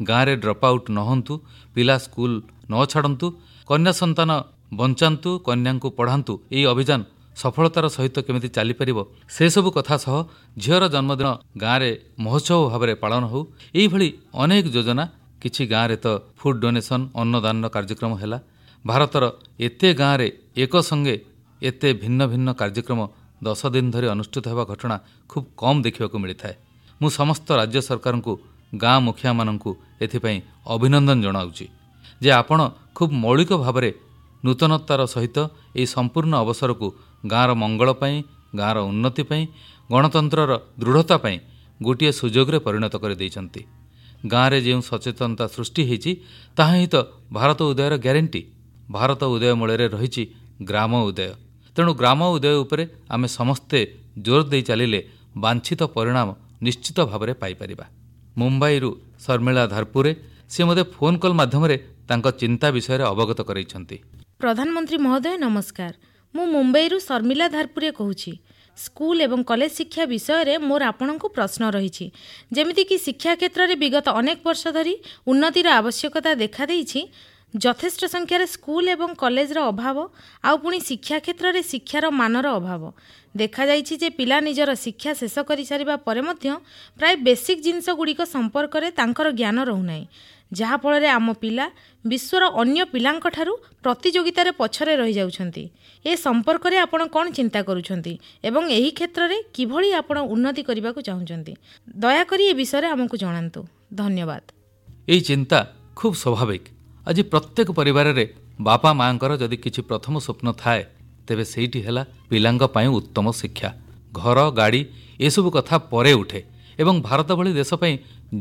ଗାଁରେ ଡ୍ରପ୍ ଆଉଟ୍ ନ ହୁଅନ୍ତୁ, ପିଲା ସ୍କୁଲ ନ ଛାଡ଼ନ୍ତୁ, କନ୍ୟା ସନ୍ତାନ ବଞ୍ଚାନ୍ତୁ, କନ୍ୟାଙ୍କୁ ପଢ଼ାନ୍ତୁ, ଏହି ଅଭିଯାନ ସଫଳତାର ସହିତ କେମିତି ଚାଲିପାରିବ, ସେସବୁ କଥା ସହ ଝିଅର ଜନ୍ମଦିନ ଗାଁରେ ମହୋତ୍ସବ ଭାବରେ ପାଳନ ହେଉ, ଏଇଭଳି ଅନେକ ଯୋଜନା। କିଛି ଗାଁରେ ତ ଫୁଡ୍ ଡୋନେସନ୍, ଅନ୍ନଦାନର କାର୍ଯ୍ୟକ୍ରମ ହେଲା। ଭାରତର ଏତେ ଗାଁରେ ଏକ ସଙ୍ଗେ ଏତେ ଭିନ୍ନ ଭିନ୍ନ କାର୍ଯ୍ୟକ୍ରମ ଦଶ ଦିନ ଧରି ଅନୁଷ୍ଠିତ ହେବା ଘଟଣା ଖୁବ୍ କମ୍ ଦେଖିବାକୁ ମିଳିଥାଏ। ମୁଁ ସମସ୍ତ ରାଜ୍ୟ ସରକାରଙ୍କୁ, ଗାଁ ମୁଖିଆମାନଙ୍କୁ ଏଥିପାଇଁ ଅଭିନନ୍ଦନ ଜଣାଉଛି ଯେ ଆପଣ ଖୁବ୍ ମୌଳିକ ଭାବରେ ନୂତନତାର ସହିତ ଏହି ସମ୍ପୂର୍ଣ୍ଣ ଅବସରକୁ ଗାଁର ମଙ୍ଗଳ ପାଇଁ, ଗାଁର ଉନ୍ନତି ପାଇଁ, ଗଣତନ୍ତ୍ରର ଦୃଢ଼ତା ପାଇଁ ଗୋଟିଏ ସୁଯୋଗରେ ପରିଣତ କରିଦେଇଛନ୍ତି। ଗାଁରେ ଯେଉଁ ସଚେତନତା ସୃଷ୍ଟି ହୋଇଛି ତାହା ହିଁ ତ ଭାରତ ଉଦୟର ଗ୍ୟାରେଣ୍ଟି। ଭାରତ ଉଦୟ ମୂଳରେ ରହିଛି ଗ୍ରାମ ଉଦୟ। ତେଣୁ ଗ୍ରାମ ଉଦୟ ଉପରେ ଆମେ ସମସ୍ତେ ଜୋର ଦେଇ ଚାଲିଲେ ବାଞ୍ଛିତ ପରିଣାମ ନିଶ୍ଚିତ ଭାବରେ ପାଇପାରିବା। ମୁମ୍ବାଇରୁ ଶର୍ମିଳା ଧାରପୁରେ, ସେ ମୋତେ ଫୋନ୍ କଲ୍ ମାଧ୍ୟମରେ ତାଙ୍କ ଚିନ୍ତା ବିଷୟରେ ଅବଗତ କରାଇଛନ୍ତି। ପ୍ରଧାନମନ୍ତ୍ରୀ ମହୋଦୟ ନମସ୍କାର, ମୁଁ ମୁମ୍ବାଇରୁ ଶର୍ମିଳା ଧାରପୁରେ କହୁଛି। ସ୍କୁଲ ଏବଂ କଲେଜ ଶିକ୍ଷା ବିଷୟରେ ମୋର ଆପଣଙ୍କୁ ପ୍ରଶ୍ନ ରହିଛି। ଯେମିତିକି ଶିକ୍ଷା କ୍ଷେତ୍ରରେ ବିଗତ ଅନେକ ବର୍ଷ ଧରି ଉନ୍ନତିର ଆବଶ୍ୟକତା ଦେଖାଦେଇଛି, ଯଥେଷ୍ଟ ସଂଖ୍ୟାରେ ସ୍କୁଲ ଏବଂ କଲେଜର ଅଭାବ, ଆଉ ପୁଣି ଶିକ୍ଷା କ୍ଷେତ୍ରରେ ଶିକ୍ଷାର ମାନର ଅଭାବ ଦେଖାଯାଇଛି ଯେ ପିଲା ନିଜର ଶିକ୍ଷା ଶେଷ କରିସାରିବା ପରେ ମଧ୍ୟ ପ୍ରାୟ ବେସିକ୍ ଜିନିଷ ଗୁଡ଼ିକ ସମ୍ପର୍କରେ ତାଙ୍କର ଜ୍ଞାନ ରହୁନାହିଁ, ଯାହାଫଳରେ ଆମ ପିଲା ବିଶ୍ୱର ଅନ୍ୟ ପିଲାଙ୍କଠାରୁ ପ୍ରତିଯୋଗିତାରେ ପଛରେ ରହିଯାଉଛନ୍ତି। ଏ ସମ୍ପର୍କରେ ଆପଣ କ'ଣ ଚିନ୍ତା କରୁଛନ୍ତି ଏବଂ ଏହି କ୍ଷେତ୍ରରେ କିଭଳି ଆପଣ ଉନ୍ନତି କରିବାକୁ ଚାହୁଁଛନ୍ତି? ଦୟାକରି ଏ ବିଷୟରେ ଆମକୁ ଜଣାନ୍ତୁ। ଧନ୍ୟବାଦ। ଏହି ଚିନ୍ତା ଖୁବ୍ ସ୍ୱାଭାବିକ। ଆଜି ପ୍ରତ୍ୟେକ ପରିବାରରେ ବାପା ମାଆଙ୍କର ଯଦି କିଛି ପ୍ରଥମ ସ୍ୱପ୍ନ ଥାଏ, ତେବେ ସେଇଟି ହେଲା ପିଲାଙ୍କ ପାଇଁ ଉତ୍ତମ ଶିକ୍ଷା। ଘର, ଗାଡ଼ି ଏସବୁ କଥା ପରେ ଉଠେ ଏବଂ ଭାରତ ଭଳି ଦେଶ ପାଇଁ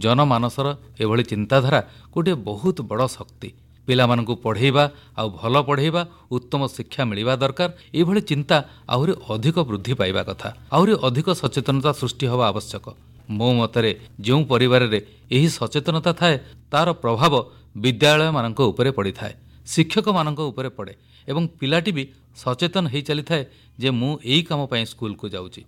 ଜନମାନସର ଏଭଳି ଚିନ୍ତାଧାରା ଗୋଟିଏ ବହୁତ ବଡ଼ ଶକ୍ତି। ପିଲାମାନଙ୍କୁ ପଢ଼େଇବା ଆଉ ଭଲ ପଢ଼େଇବା, ଉତ୍ତମ ଶିକ୍ଷା ମିଳିବା ଦରକାର, ଏଭଳି ଚିନ୍ତା ଆହୁରି ଅଧିକ ବୃଦ୍ଧି ପାଇବା କଥା, ଆହୁରି ଅଧିକ ସଚେତନତା ସୃଷ୍ଟି ହେବା ଆବଶ୍ୟକ। ମୋ ମତରେ ଯେଉଁ ପରିବାରରେ ଏହି ସଚେତନତା ଥାଏ, ତାର ପ୍ରଭାବ ବିଦ୍ୟାଳୟମାନଙ୍କ ଉପରେ ପଡ଼ିଥାଏ, ଶିକ୍ଷକମାନଙ୍କ ଉପରେ ପଡ଼େ ଏବଂ ପିଲାଟି ବି ସଚେତନ ହେଇ ଚାଲିଥାଏ ଯେ ମୁଁ ଏଇ କାମ ପାଇଁ ସ୍କୁଲକୁ ଯାଉଛି।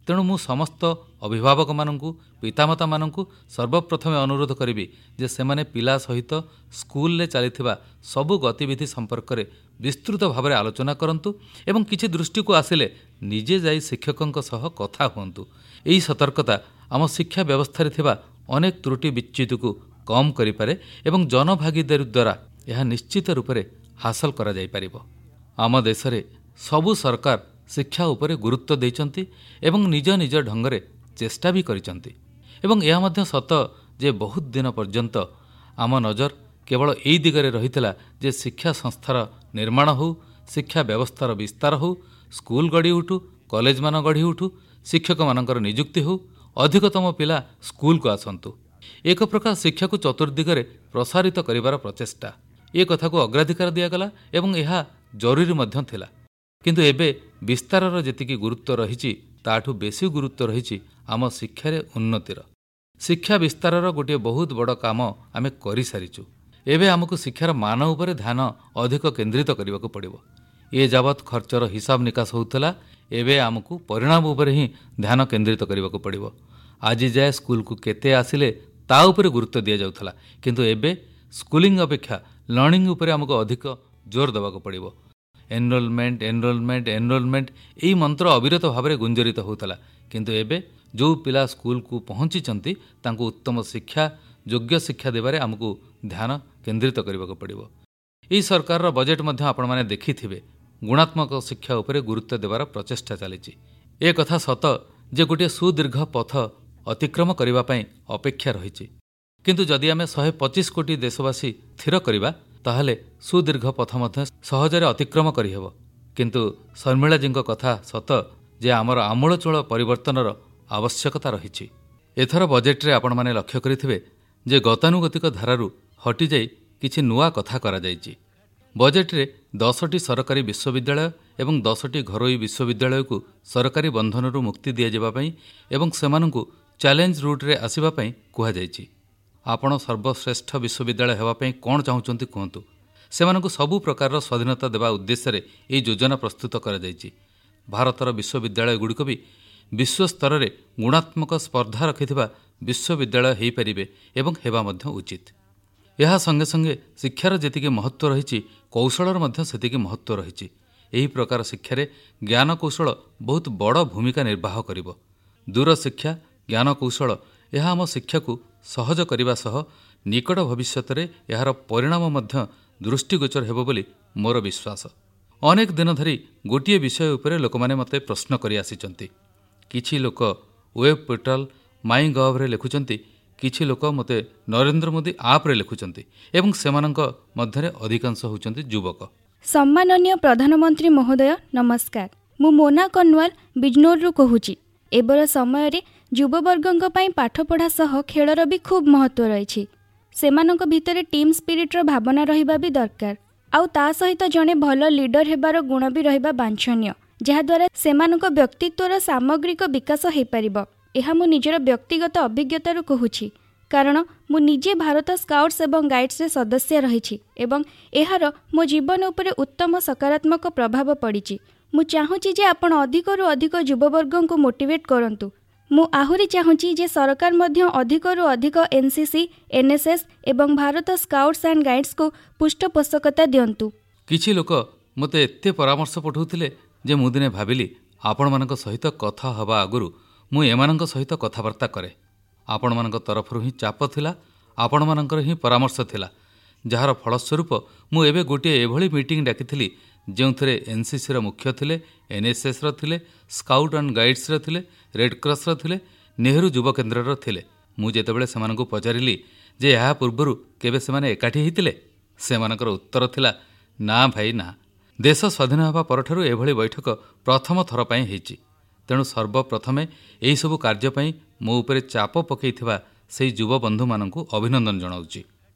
ତେଣୁ ମୁଁ ସମସ୍ତ ଅଭିଭାବକମାନଙ୍କୁ, ପିତାମାତାମାନଙ୍କୁ ସର୍ବପ୍ରଥମେ ଅନୁରୋଧ କରିବି ଯେ ସେମାନେ ପିଲା ସହିତ ସ୍କୁଲରେ ଚାଲିଥିବା ସବୁ ଗତିବିଧି ସମ୍ପର୍କରେ ବିସ୍ତୃତ ଭାବରେ ଆଲୋଚନା କରନ୍ତୁ ଏବଂ କିଛି ଦୃଷ୍ଟିକୁ ଆସିଲେ ନିଜେ ଯାଇ ଶିକ୍ଷକଙ୍କ ସହ କଥା ହୁଅନ୍ତୁ। ଏହି ସତର୍କତା ଆମ ଶିକ୍ଷା ବ୍ୟବସ୍ଥାରେ ଥିବା ଅନେକ ତ୍ରୁଟି ବିଚ୍ୟୁତିକୁ କମ୍ କରିପାରେ ଏବଂ ଜନଭାଗିଦାରୀ ଦ୍ୱାରା ଏହା ନିଶ୍ଚିତ ରୂପରେ ହାସଲ କରାଯାଇପାରିବ। ଆମ ଦେଶରେ ସବୁ ସରକାର ଶିକ୍ଷା ଉପରେ ଗୁରୁତ୍ୱ ଦେଇଛନ୍ତି ଏବଂ ନିଜ ନିଜ ଢଙ୍ଗରେ ଚେଷ୍ଟା ବି କରିଛନ୍ତି ଏବଂ ଏହା ମଧ୍ୟ ସତ ଯେ ବହୁତ ଦିନ ପର୍ଯ୍ୟନ୍ତ ଆମ ନଜର କେବଳ ଏଇ ଦିଗରେ ରହିଥିଲା ଯେ ଶିକ୍ଷା ସଂସ୍ଥାର ନିର୍ମାଣ ହେଉ, ଶିକ୍ଷା ବ୍ୟବସ୍ଥାର ବିସ୍ତାର ହେଉ, ସ୍କୁଲ ଗଢ଼ି ଉଠୁ, କଲେଜମାନ ଗଢ଼ି ଉଠୁ, ଶିକ୍ଷକମାନଙ୍କର ନିଯୁକ୍ତି ହେଉ, ଅଧିକତମ ପିଲା ସ୍କୁଲକୁ ଆସନ୍ତୁ। ଏକ ପ୍ରକାର ଶିକ୍ଷାକୁ ଚତୁର୍ଦିଗରେ ପ୍ରସାରିତ କରିବାର ପ୍ରଚେଷ୍ଟା, ଏ କଥାକୁ ଅଗ୍ରାଧିକାର ଦିଆଗଲା ଏବଂ ଏହା ଜରୁରୀ ମଧ୍ୟ ଥିଲା। କିନ୍ତୁ ଏବେ ବିସ୍ତାରର ଯେତିକି ଗୁରୁତ୍ୱ ରହିଛି, ତାଠୁ ବେଶୀ ଗୁରୁତ୍ୱ ରହିଛି ଆମ ଶିକ୍ଷାରେ ଉନ୍ନତିର। ଶିକ୍ଷା ବିସ୍ତାରର ଗୋଟିଏ ବହୁତ ବଡ଼ କାମ ଆମେ କରିସାରିଛୁ। ଏବେ ଆମକୁ ଶିକ୍ଷାର ମାନ ଉପରେ ଧ୍ୟାନ ଅଧିକ କେନ୍ଦ୍ରିତ କରିବାକୁ ପଡ଼ିବ। ଏ ଯାବତ୍ ଖର୍ଚ୍ଚର ହିସାବ ନିକାଶ ହେଉଥିଲା, ଏବେ ଆମକୁ ପରିଣାମ ଉପରେ ହିଁ ଧ୍ୟାନ କେନ୍ଦ୍ରିତ କରିବାକୁ ପଡ଼ିବ। ଆଜି ଯାଏ ସ୍କୁଲକୁ କେତେ ଆସିଲେ ତା ଉପରେ ଗୁରୁତ୍ୱ ଦିଆଯାଉଥିଲା, କିନ୍ତୁ ଏବେ ସ୍କୁଲିଂ ଅପେକ୍ଷା ଲର୍ଣ୍ଣିଂ ଉପରେ ଆମକୁ ଅଧିକ ଜୋର ଦେବାକୁ ପଡ଼ିବ। ଏନରୋଲମେଣ୍ଟ, ଏନରୋଲମେଣ୍ଟ, ଏନରୋଲମେଣ୍ଟ ଏହି ମନ୍ତ୍ର ଅବିରତ ଭାବରେ ଗୁଞ୍ଜରିତ ହେଉଥିଲା, କିନ୍ତୁ ଏବେ ଯେଉଁ ପିଲା ସ୍କୁଲକୁ ପହଞ୍ଚିଛନ୍ତି ତାଙ୍କୁ ଉତ୍ତମ ଶିକ୍ଷା, ଯୋଗ୍ୟ ଶିକ୍ଷା ଦେବାରେ ଆମକୁ ଧ୍ୟାନ କେନ୍ଦ୍ରିତ କରିବାକୁ ପଡ଼ିବ। ଏହି ସରକାରର ବଜେଟ୍ ମଧ୍ୟ ଆପଣମାନେ ଦେଖିଥିବେ, ଗୁଣାତ୍ମକ ଶିକ୍ଷା ଉପରେ ଗୁରୁତ୍ୱ ଦେବାର ପ୍ରଚେଷ୍ଟା ଚାଲିଛି। ଏ କଥା ସତ ଯେ ଗୋଟିଏ ସୁଦୀର୍ଘ ପଥ ଅତିକ୍ରମ କରିବା ପାଇଁ ଅପେକ୍ଷା ରହିଛି, କିନ୍ତୁ ଯଦି ଆମେ ଶହେ ପଚିଶ କୋଟି ଦେଶବାସୀ ସ୍ଥିର କରିବା ତାହେଲେ ସୁଦୀର୍ଘ ପଥ ମଧ୍ୟ ସହଜରେ ଅତିକ୍ରମ କରିହେବ। କିନ୍ତୁ ଶର୍ମିଳାଜୀଙ୍କ କଥା ସତ ଯେ ଆମର ଆମୂଳଚୂଳ ପରିବର୍ତ୍ତନର ଆବଶ୍ୟକତା ରହିଛି। ଏଥର ବଜେଟରେ ଆପଣମାନେ ଲକ୍ଷ୍ୟ କରିଥିବେ ଯେ ଗତାନୁଗତିକ ଧାରାରୁ ହଟିଯାଇ କିଛି ନୂଆ କଥା କରାଯାଇଛି। ବଜେଟରେ ଦଶଟି ସରକାରୀ ବିଶ୍ୱବିଦ୍ୟାଳୟ ଏବଂ ଦଶଟି ଘରୋଇ ବିଶ୍ୱବିଦ୍ୟାଳୟକୁ ସରକାରୀ ବନ୍ଧନରୁ ମୁକ୍ତି ଦିଆଯିବା ପାଇଁ ଏବଂ ସେମାନଙ୍କୁ ଚ୍ୟାଲେଞ୍ଜ ରୁଟ୍ରେ ଆସିବା ପାଇଁ କୁହାଯାଇଛି। ଆପଣ ସର୍ବଶ୍ରେଷ୍ଠ ବିଶ୍ୱବିଦ୍ୟାଳୟ ହେବା ପାଇଁ କ'ଣ ଚାହୁଁଛନ୍ତି କୁହନ୍ତୁ। ସେମାନଙ୍କୁ ସବୁ ପ୍ରକାରର ସ୍ୱାଧୀନତା ଦେବା ଉଦ୍ଦେଶ୍ୟରେ ଏହି ଯୋଜନା ପ୍ରସ୍ତୁତ କରାଯାଇଛି। ଭାରତର ବିଶ୍ୱବିଦ୍ୟାଳୟଗୁଡ଼ିକ ବି ବିଶ୍ୱସ୍ତରରେ ଗୁଣାତ୍ମକ ସ୍ପର୍ଦ୍ଧା ରଖିଥିବା ବିଶ୍ୱବିଦ୍ୟାଳୟ ହୋଇପାରିବେ ଏବଂ ହେବା ମଧ୍ୟ ଉଚିତ। ଏହା ସଙ୍ଗେ ସଙ୍ଗେ ଶିକ୍ଷାର ଯେତିକି ମହତ୍ତ୍ୱ ରହିଛି, କୌଶଳର ମଧ୍ୟ ସେତିକି ମହତ୍ତ୍ୱ ରହିଛି। ଏହି ପ୍ରକାର ଶିକ୍ଷାରେ ଜ୍ଞାନକୌଶଳ ବହୁତ ବଡ଼ ଭୂମିକା ନିର୍ବାହ କରିବ। ଦୂରଶିକ୍ଷା, ଜ୍ଞାନକୌଶଳ ଏହା ଆମ ଶିକ୍ଷାକୁ ସହଜ କରିବା ସହ ନିକଟ ଭବିଷ୍ୟତରେ ଏହାର ପରିଣାମ ମଧ୍ୟ ଦୃଷ୍ଟିଗୋଚର ହେବ ବୋଲି ମୋର ବିଶ୍ୱାସ। ଅନେକ ଦିନ ଧରି ଗୋଟିଏ ବିଷୟ ଉପରେ ଲୋକମାନେ ମୋତେ ପ୍ରଶ୍ନ କରି ଆସିଛନ୍ତି। କିଛି ଲୋକ ୱେବ୍ ପୋର୍ଟାଲ ମାଇ ଗଭ୍ରେ ଲେଖୁଛନ୍ତି, କିଛି ଲୋକ ମୋତେ ନରେନ୍ଦ୍ର ମୋଦି ଆପ୍ରେ ଲେଖୁଛନ୍ତି ଏବଂ ସେମାନଙ୍କ ମଧ୍ୟରେ ଅଧିକାଂଶ ହେଉଛନ୍ତି ଯୁବକ। ସମ୍ମାନନୀୟ ପ୍ରଧାନମନ୍ତ୍ରୀ ମହୋଦୟ ନମସ୍କାର। ମୁଁ ମୋନା କନ୍ୱାଲ ବିଜନୋରରୁ କହୁଛି। ଏବର ସମୟରେ ଯୁବବର୍ଗଙ୍କ ପାଇଁ ପାଠପଢ଼ା ସହ ଖେଳର ବି ଖୁବ୍ ମହତ୍ତ୍ୱ ରହିଛି। ସେମାନଙ୍କ ଭିତରେ ଟିମ୍ ସ୍ପିରିଟ୍ର ଭାବନା ରହିବା ବି ଦରକାର, ଆଉ ତା ସହିତ ଜଣେ ଭଲ ଲିଡର ହେବାର ଗୁଣ ବି ରହିବା ବାଞ୍ଛନୀୟ, ଯାହାଦ୍ୱାରା ସେମାନଙ୍କ ବ୍ୟକ୍ତିତ୍ୱର ସାମଗ୍ରିକ ବିକାଶ ହୋଇପାରିବ। ଏହା ମୁଁ ନିଜର ବ୍ୟକ୍ତିଗତ ଅଭିଜ୍ଞତାରୁ କହୁଛି, କାରଣ ମୁଁ ନିଜେ ଭାରତ ସ୍କାଉଟ୍ସ ଏବଂ ଗାଇଡ୍ସରେ ସଦସ୍ୟ ରହିଛି ଏବଂ ଏହାର ମୋ ଜୀବନ ଉପରେ ଉତ୍ତମ ସକାରାତ୍ମକ ପ୍ରଭାବ ପଡ଼ିଛି। ମୁଁ ଚାହୁଁଛି ଯେ ଆପଣ ଅଧିକରୁ ଅଧିକ ଯୁବବର୍ଗଙ୍କୁ ମୋଟିଭେଟ୍ କରନ୍ତୁ। ମୁଁ ଆହୁରି ଚାହୁଁଛି ଯେ ସରକାର ମଧ୍ୟ ଅଧିକରୁ ଅଧିକ N C C, N S S ଏବଂ ଭାରତ ସ୍କାଉଟ୍ସ ଆଣ୍ଡ ଗାଇଡ୍ସକୁ ପୃଷ୍ଠପୋଷକତା ଦିଅନ୍ତୁ। କିଛି ଲୋକ ମୋତେ ଏତେ ପରାମର୍ଶ ପଠାଉଥିଲେ ଯେ ମୁଁ ଦିନେ ଭାବିଲି ଆପଣମାନଙ୍କ ସହିତ କଥା ହେବା ଆଗରୁ ମୁଁ ଏମାନଙ୍କ ସହିତ କଥାବାର୍ତ୍ତା କରେ। ଆପଣମାନଙ୍କ ତରଫରୁ ହିଁ ଚାପ ଥିଲା, ଆପଣମାନଙ୍କର ହିଁ ପରାମର୍ଶ ଥିଲା, ଯାହାର ଫଳସ୍ୱରୂପ ମୁଁ ଏବେ ଗୋଟିଏ ଏଭଳି ମିଟିଂ ଡାକିଥିଲି ଯେଉଁଥିରେ ଏନ୍ସିସିର ମୁଖ୍ୟ ଥିଲେ, ଏନ୍ଏସ୍ଏସ୍ର ଥିଲେ, ସ୍କାଉଟ୍ ଆଣ୍ଡ ଗାଇଡ୍ସର ଥିଲେ, ରେଡ୍କ୍ରସ୍ର ଥିଲେ, ନେହେରୁ ଯୁବ କେନ୍ଦ୍ରର ଥିଲେ। ମୁଁ ଯେତେବେଳେ ସେମାନଙ୍କୁ ପଚାରିଲି ଯେ ଏହା ପୂର୍ବରୁ କେବେ ସେମାନେ ଏକାଠି ହୋଇଥିଲେ, ସେମାନଙ୍କର ଉତ୍ତର ଥିଲା ନା ଭାଇ ନା, ଦେଶ ସ୍ୱାଧୀନ ହେବା ପରଠାରୁ ଏଭଳି ବୈଠକ ପ୍ରଥମ ଥର ପାଇଁ ହେଇଛି। ତେଣୁ ସର୍ବପ୍ରଥମେ ଏହିସବୁ କାର୍ଯ୍ୟ ପାଇଁ ମୋ ଉପରେ ଚାପ ପକାଇଥିବା ସେହି ଯୁବବନ୍ଧୁମାନଙ୍କୁ ଅଭିନନ୍ଦନ ଜଣାଉଛି।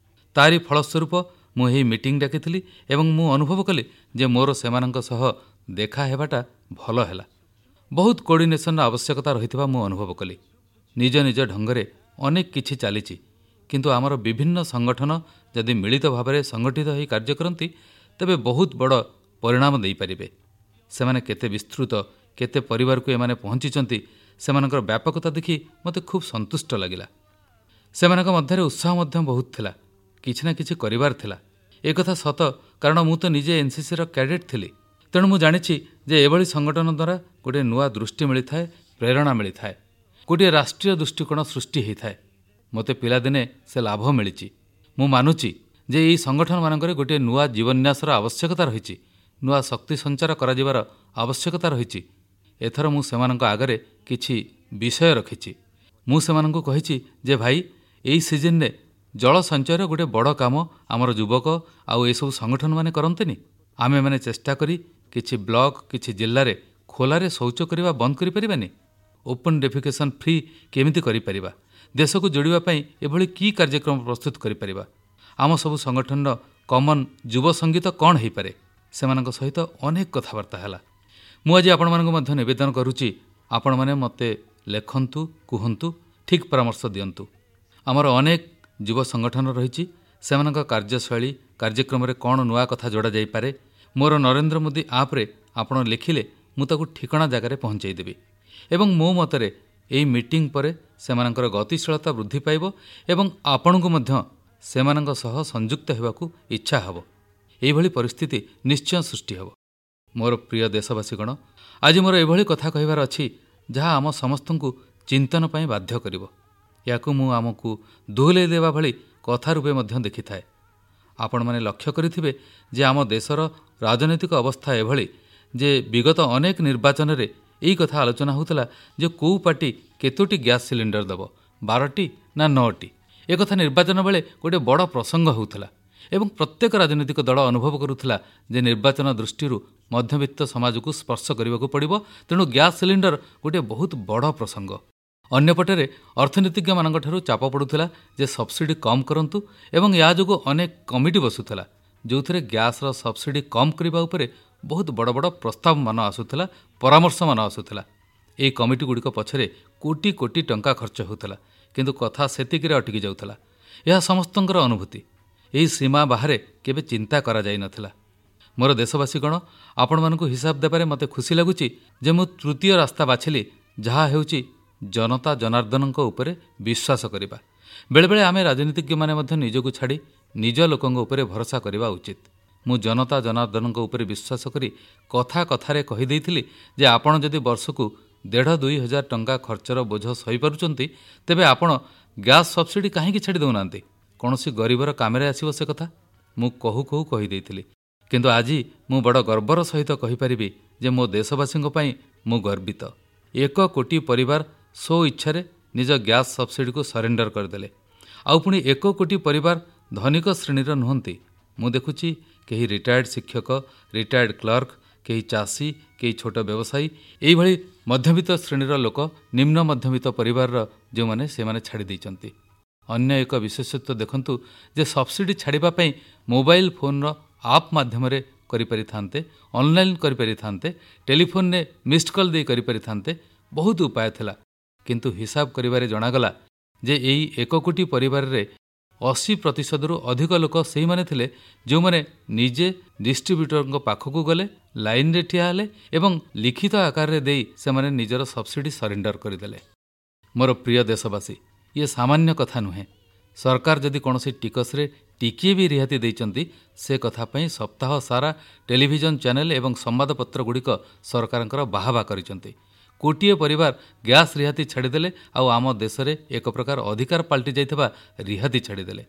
ତାରି ଫଳସ୍ୱରୂପ ମୁଁ ଏହି ମିଟିଂ ଡାକିଥିଲି ଏବଂ ମୁଁ ଅନୁଭବ କଲି ଯେ ମୋର ସେମାନଙ୍କ ସହ ଦେଖା ହେବାଟା ଭଲ ହେଲା। ବହୁତ କୋର୍ଡିନେସନର ଆବଶ୍ୟକତା ରହିଥିବା ମୁଁ ଅନୁଭବ କଲି। ନିଜ ନିଜ ଢଙ୍ଗରେ ଅନେକ କିଛି ଚାଲିଛି, କିନ୍ତୁ ଆମର ବିଭିନ୍ନ ସଂଗଠନ ଯଦି ମିଳିତ ଭାବରେ ସଂଗଠିତ ହୋଇ କାର୍ଯ୍ୟ କରନ୍ତି ତେବେ ବହୁତ ବଡ଼ ପରିଣାମ ଦେଇପାରିବେ। ସେମାନେ କେତେ ବିସ୍ତୃତ, କେତେ ପରିବାରକୁ ଏମାନେ ପହଞ୍ଚିଛନ୍ତି, ସେମାନଙ୍କର ବ୍ୟାପକତା ଦେଖି ମୋତେ ଖୁବ୍ ସନ୍ତୁଷ୍ଟ ଲାଗିଲା। ସେମାନଙ୍କ ମଧ୍ୟରେ ଉତ୍ସାହ ମଧ୍ୟ ବହୁତ ଥିଲା, କିଛି ନା କିଛି କରିବାର ଥିଲା। ଏକଥା ସତ, କାରଣ ମୁଁ ତ ନିଜେ ଏନ୍ସିସିର କ୍ୟାଡେଟ୍ ଥିଲି। ତେଣୁ ମୁଁ ଜାଣିଛି ଯେ ଏଭଳି ସଂଗଠନ ଦ୍ୱାରା ଗୋଟିଏ ନୂଆ ଦୃଷ୍ଟି ମିଳିଥାଏ, ପ୍ରେରଣା ମିଳିଥାଏ, ଗୋଟିଏ ରାଷ୍ଟ୍ରୀୟ ଦୃଷ୍ଟିକୋଣ ସୃଷ୍ଟି ହୋଇଥାଏ। ମୋତେ ପିଲାଦିନେ ସେ ଲାଭ ମିଳିଛି। ମୁଁ ମାନୁଛି ଯେ ଏହି ସଂଗଠନମାନଙ୍କରେ ଗୋଟିଏ ନୂଆ ଜୀବନ୍ୟାସର ଆବଶ୍ୟକତା ରହିଛି, ନୂଆ ଶକ୍ତି ସଞ୍ଚାର କରାଯିବାର ଆବଶ୍ୟକତା ରହିଛି। ଏଥର ମୁଁ ସେମାନଙ୍କ ଆଗରେ କିଛି ବିଷୟ ରଖିଛି। ମୁଁ ସେମାନଙ୍କୁ କହିଛି ଯେ ଭାଇ, ଏଇ ସିଜନରେ ଜଳ ସଞ୍ଚୟର ଗୋଟିଏ ବଡ଼ କାମ ଆମର ଯୁବକ ଆଉ ଏସବୁ ସଂଗଠନମାନେ କରନ୍ତିନି। ଆମେମାନେ ଚେଷ୍ଟା କରି କିଛି ବ୍ଲକ, କିଛି ଜିଲ୍ଲାରେ ଖୋଲାରେ ଶୌଚ କରିବା ବନ୍ଦ କରିପାରିବାନି? ଓପନ୍ ଡେଫିକେସନ୍ ଫ୍ରି କେମିତି କରିପାରିବା? ଦେଶକୁ ଯୋଡ଼ିବା ପାଇଁ ଏଭଳି କି କାର୍ଯ୍ୟକ୍ରମ ପ୍ରସ୍ତୁତ କରିପାରିବା? ଆମ ସବୁ ସଂଗଠନର କମନ୍ ଯୁବ ସଙ୍ଗୀତ କ'ଣ ହୋଇପାରେ? ସେମାନଙ୍କ ସହିତ ଅନେକ କଥାବାର୍ତ୍ତା ହେଲା। ମୁଁ ଆଜି ଆପଣମାନଙ୍କୁ ମଧ୍ୟ ନିବେଦନ କରୁଛି, ଆପଣମାନେ ମୋତେ ଲେଖନ୍ତୁ, କୁହନ୍ତୁ, ଠିକ୍ ପରାମର୍ଶ ଦିଅନ୍ତୁ। ଆମର ଅନେକ ଯୁବ ସଂଗଠନ ରହିଛି, ସେମାନଙ୍କ କାର୍ଯ୍ୟଶୈଳୀ, କାର୍ଯ୍ୟକ୍ରମରେ କ'ଣ ନୂଆ କଥା ଯୋଡ଼ା ଯାଇପାରେ, ମୋର ନରେନ୍ଦ୍ର ମୋଦି ଆପ୍ରେ ଆପଣ ଲେଖିଲେ ମୁଁ ତାକୁ ଠିକଣା ଜାଗାରେ ପହଞ୍ଚାଇ ଦେବି। ଏବଂ ମୋ ମତରେ ଏହି ମିଟିଂ ପରେ ସେମାନଙ୍କର ଗତିଶୀଳତା ବୃଦ୍ଧି ପାଇବ ଏବଂ ଆପଣଙ୍କୁ ମଧ୍ୟ ସେମାନଙ୍କ ସହ ସଂଯୁକ୍ତ ହେବାକୁ ଇଚ୍ଛା ହେବ। ଏଇଭଳି ପରିସ୍ଥିତି ନିଶ୍ଚୟ ସୃଷ୍ଟି ହେବ। ମୋର ପ୍ରିୟ ଦେଶବାସୀଗଣ, ଆଜି ମୋର ଏଭଳି କଥା କହିବାର ଅଛି ଯାହା ଆମ ସମସ୍ତଙ୍କୁ ଚିନ୍ତନ ପାଇଁ ବାଧ୍ୟ କରିବ। ଏହାକୁ ମୁଁ ଆମକୁ ଦୋହଲାଇ ଦେବା ଭଳି କଥା ରୂପେ ମଧ୍ୟ ଦେଖିଥାଏ। ଆପଣମାନେ ଲକ୍ଷ୍ୟ କରିଥିବେ ଯେ ଆମ ଦେଶର ରାଜନୈତିକ ଅବସ୍ଥା ଏଭଳି ଯେ ବିଗତ ଅନେକ ନିର୍ବାଚନରେ ଏଇ କଥା ଆଲୋଚନା ହେଉଥିଲା ଯେ କେଉଁ ପାର୍ଟି କେତୋଟି ଗ୍ୟାସ୍ ସିଲିଣ୍ଡର ଦେବ, ବାରଟି ନା ନଅଟି। ଏକଥା ନିର୍ବାଚନ ବେଳେ ଗୋଟିଏ ବଡ଼ ପ୍ରସଙ୍ଗ ହେଉଥିଲା ଏବଂ ପ୍ରତ୍ୟେକ ରାଜନୈତିକ ଦଳ ଅନୁଭବ କରୁଥିଲା ଯେ ନିର୍ବାଚନ ଦୃଷ୍ଟିରୁ ମଧ୍ୟବିତ୍ତ ସମାଜକୁ ସ୍ପର୍ଶ କରିବାକୁ ପଡ଼ିବ, ତେଣୁ ଗ୍ୟାସ୍ ସିଲିଣ୍ଡର ଗୋଟିଏ ବହୁତ ବଡ଼ ପ୍ରସଙ୍ଗ। ଅନ୍ୟପଟରେ ଅର୍ଥନୀତିଜ୍ଞମାନଙ୍କଠାରୁ ଚାପ ପଡ଼ୁଥିଲା ଯେ ସବସିଡି କମ୍ କରନ୍ତୁ ଏବଂ ଏହା ଯୋଗୁଁ ଅନେକ କମିଟି ବସୁଥିଲା ଯେଉଁଥିରେ ଗ୍ୟାସ୍ର ସବସିଡି କମ୍ କରିବା ଉପରେ ବହୁତ ବଡ଼ ବଡ଼ ପ୍ରସ୍ତାବମାନ ଆସୁଥିଲା, ପରାମର୍ଶମାନ ଆସୁଥିଲା। ଏହି କମିଟିଗୁଡ଼ିକ ପଛରେ କୋଟି କୋଟି ଟଙ୍କା ଖର୍ଚ୍ଚ ହେଉଥିଲା, କିନ୍ତୁ କଥା ସେତିକିରେ ଅଟକି ଯାଉଥିଲା। ଏହା ସମସ୍ତଙ୍କର ଅନୁଭୂତି। ଏହି ସୀମା ବାହାରେ କେବେ ଚିନ୍ତା କରାଯାଇନଥିଲା। ମୋର ଦେଶବାସୀଗଣ, ଆପଣମାନଙ୍କୁ ହିସାବ ଦେବାରେ ମୋତେ ଖୁସି ଲାଗୁଛି ଯେ ମୁଁ ତୃତୀୟ ରାସ୍ତା ବାଛିଲି, ଯାହା ହେଉଛି ଜନତା ଜନାର୍ଦ୍ଦନଙ୍କ ଉପରେ ବିଶ୍ୱାସ କରିବା। ବେଳେବେଳେ ଆମେ ରାଜନୀତିଜ୍ଞମାନେ ମଧ୍ୟ ନିଜକୁ ଛାଡ଼ି ନିଜ ଲୋକଙ୍କ ଉପରେ ଭରସା କରିବା ଉଚିତ। ମୁଁ ଜନତା ଜନାର୍ଦ୍ଦନଙ୍କ ଉପରେ ବିଶ୍ୱାସ କରି କଥା କଥାରେ କହିଦେଇଥିଲି ଯେ ଆପଣ ଯଦି ବର୍ଷକୁ ଦେଢ଼ ଦୁଇ ହଜାର ଟଙ୍କା ଖର୍ଚ୍ଚର ବୋଝ ସହିପାରୁଛନ୍ତି, ତେବେ ଆପଣ ଗ୍ୟାସ୍ ସବସିଡି କାହିଁକି ଛାଡ଼ି ଦେଉନାହାନ୍ତି? କୌଣସି ଗରିବର କାମରେ ଆସିବ ସେ କଥା ମୁଁ କହୁ କହୁ କହିଦେଇଥିଲି। କିନ୍ତୁ ଆଜି ମୁଁ ବଡ଼ ଗର୍ବର ସହିତ କହିପାରିବି ଯେ ମୋ ଦେଶବାସୀଙ୍କ ପାଇଁ ମୁଁ ଗର୍ବିତ। ଏକ କୋଟି ପରିବାର ସ୍ୱ ଇଚ୍ଛାରେ ନିଜ ଗ୍ୟାସ୍ ସବସିଡିକୁ ସରେଣ୍ଡର କରିଦେଲେ। ଆଉ ପୁଣି ଏକ କୋଟି ପରିବାର ଧନିକ ଶ୍ରେଣୀର ନୁହନ୍ତି। ମୁଁ ଦେଖୁଛି କେହି ରିଟାୟାର୍ଡ ଶିକ୍ଷକ, ରିଟାୟାର୍ଡ କ୍ଲର୍କ, କେହି ଚାଷୀ, କେହି ଛୋଟ ବ୍ୟବସାୟୀ, ଏଇଭଳି ମଧ୍ୟବିତ୍ତ ଶ୍ରେଣୀର ଲୋକ, ନିମ୍ନ ମଧ୍ୟବିତ୍ତ ପରିବାରର ଯେଉଁମାନେ, ସେମାନେ ଛାଡ଼ି ଦେଇଛନ୍ତି। ଅନ୍ୟ ଏକ ବିଶେଷତ୍ୱ ଦେଖନ୍ତୁ ଯେ ସବସିଡି ଛାଡ଼ିବା ପାଇଁ ମୋବାଇଲ ଫୋନ୍ର ଆପ୍ ମାଧ୍ୟମରେ କରିପାରିଥାନ୍ତେ, ଅନଲାଇନ୍ କରିପାରିଥାନ୍ତେ, ଟେଲିଫୋନ୍ରେ ମିସ୍ଡ କଲ୍ ଦେଇ କରିପାରିଥାନ୍ତେ, ବହୁତ ଉପାୟ ଥିଲା। କିନ୍ତୁ ହିସାବ କରିବାରେ ଜଣାଗଲା ଯେ ଏଇ ଏକ କୋଟି ପରିବାରରେ ଅଶୀ ପ୍ରତିଶତରୁ ଅଧିକ ଲୋକ ସେଇମାନେ ଥିଲେ ଯେଉଁମାନେ ନିଜେ ଡିଷ୍ଟ୍ରିବ୍ୟୁଟରଙ୍କ ପାଖକୁ ଗଲେ, ଲାଇନ୍ରେ ଠିଆ ହେଲେ ଏବଂ ଲିଖିତ ଆକାରରେ ଦେଇ ସେମାନେ ନିଜର ସବସିଡି ସରେଣ୍ଡର କରିଦେଲେ। ମୋର ପ୍ରିୟ ଦେଶବାସୀ, ଇଏ ସାମାନ୍ୟ କଥା ନୁହେଁ। ସରକାର ଯଦି କୌଣସି ଟିକସରେ ଟିକିଏ ବି ରିହାତି ଦେଇଛନ୍ତି, ସେ କଥା ପାଇଁ ସପ୍ତାହ ସାରା ଟେଲିଭିଜନ ଚ୍ୟାନେଲ ଏବଂ ସମ୍ବାଦପତ୍ରଗୁଡ଼ିକ ସରକାରଙ୍କର ବାହାବା କରିଛନ୍ତି। କୋଟିଏ ପରିବାର ଗ୍ୟାସ୍ ରିହାତି ଛାଡ଼ିଦେଲେ ଆଉ ଆମ ଦେଶରେ ଏକ ପ୍ରକାର ଅଧିକାର ପାଲଟି ଯାଇଥିବା ରିହାତି ଛାଡ଼ିଦେଲେ।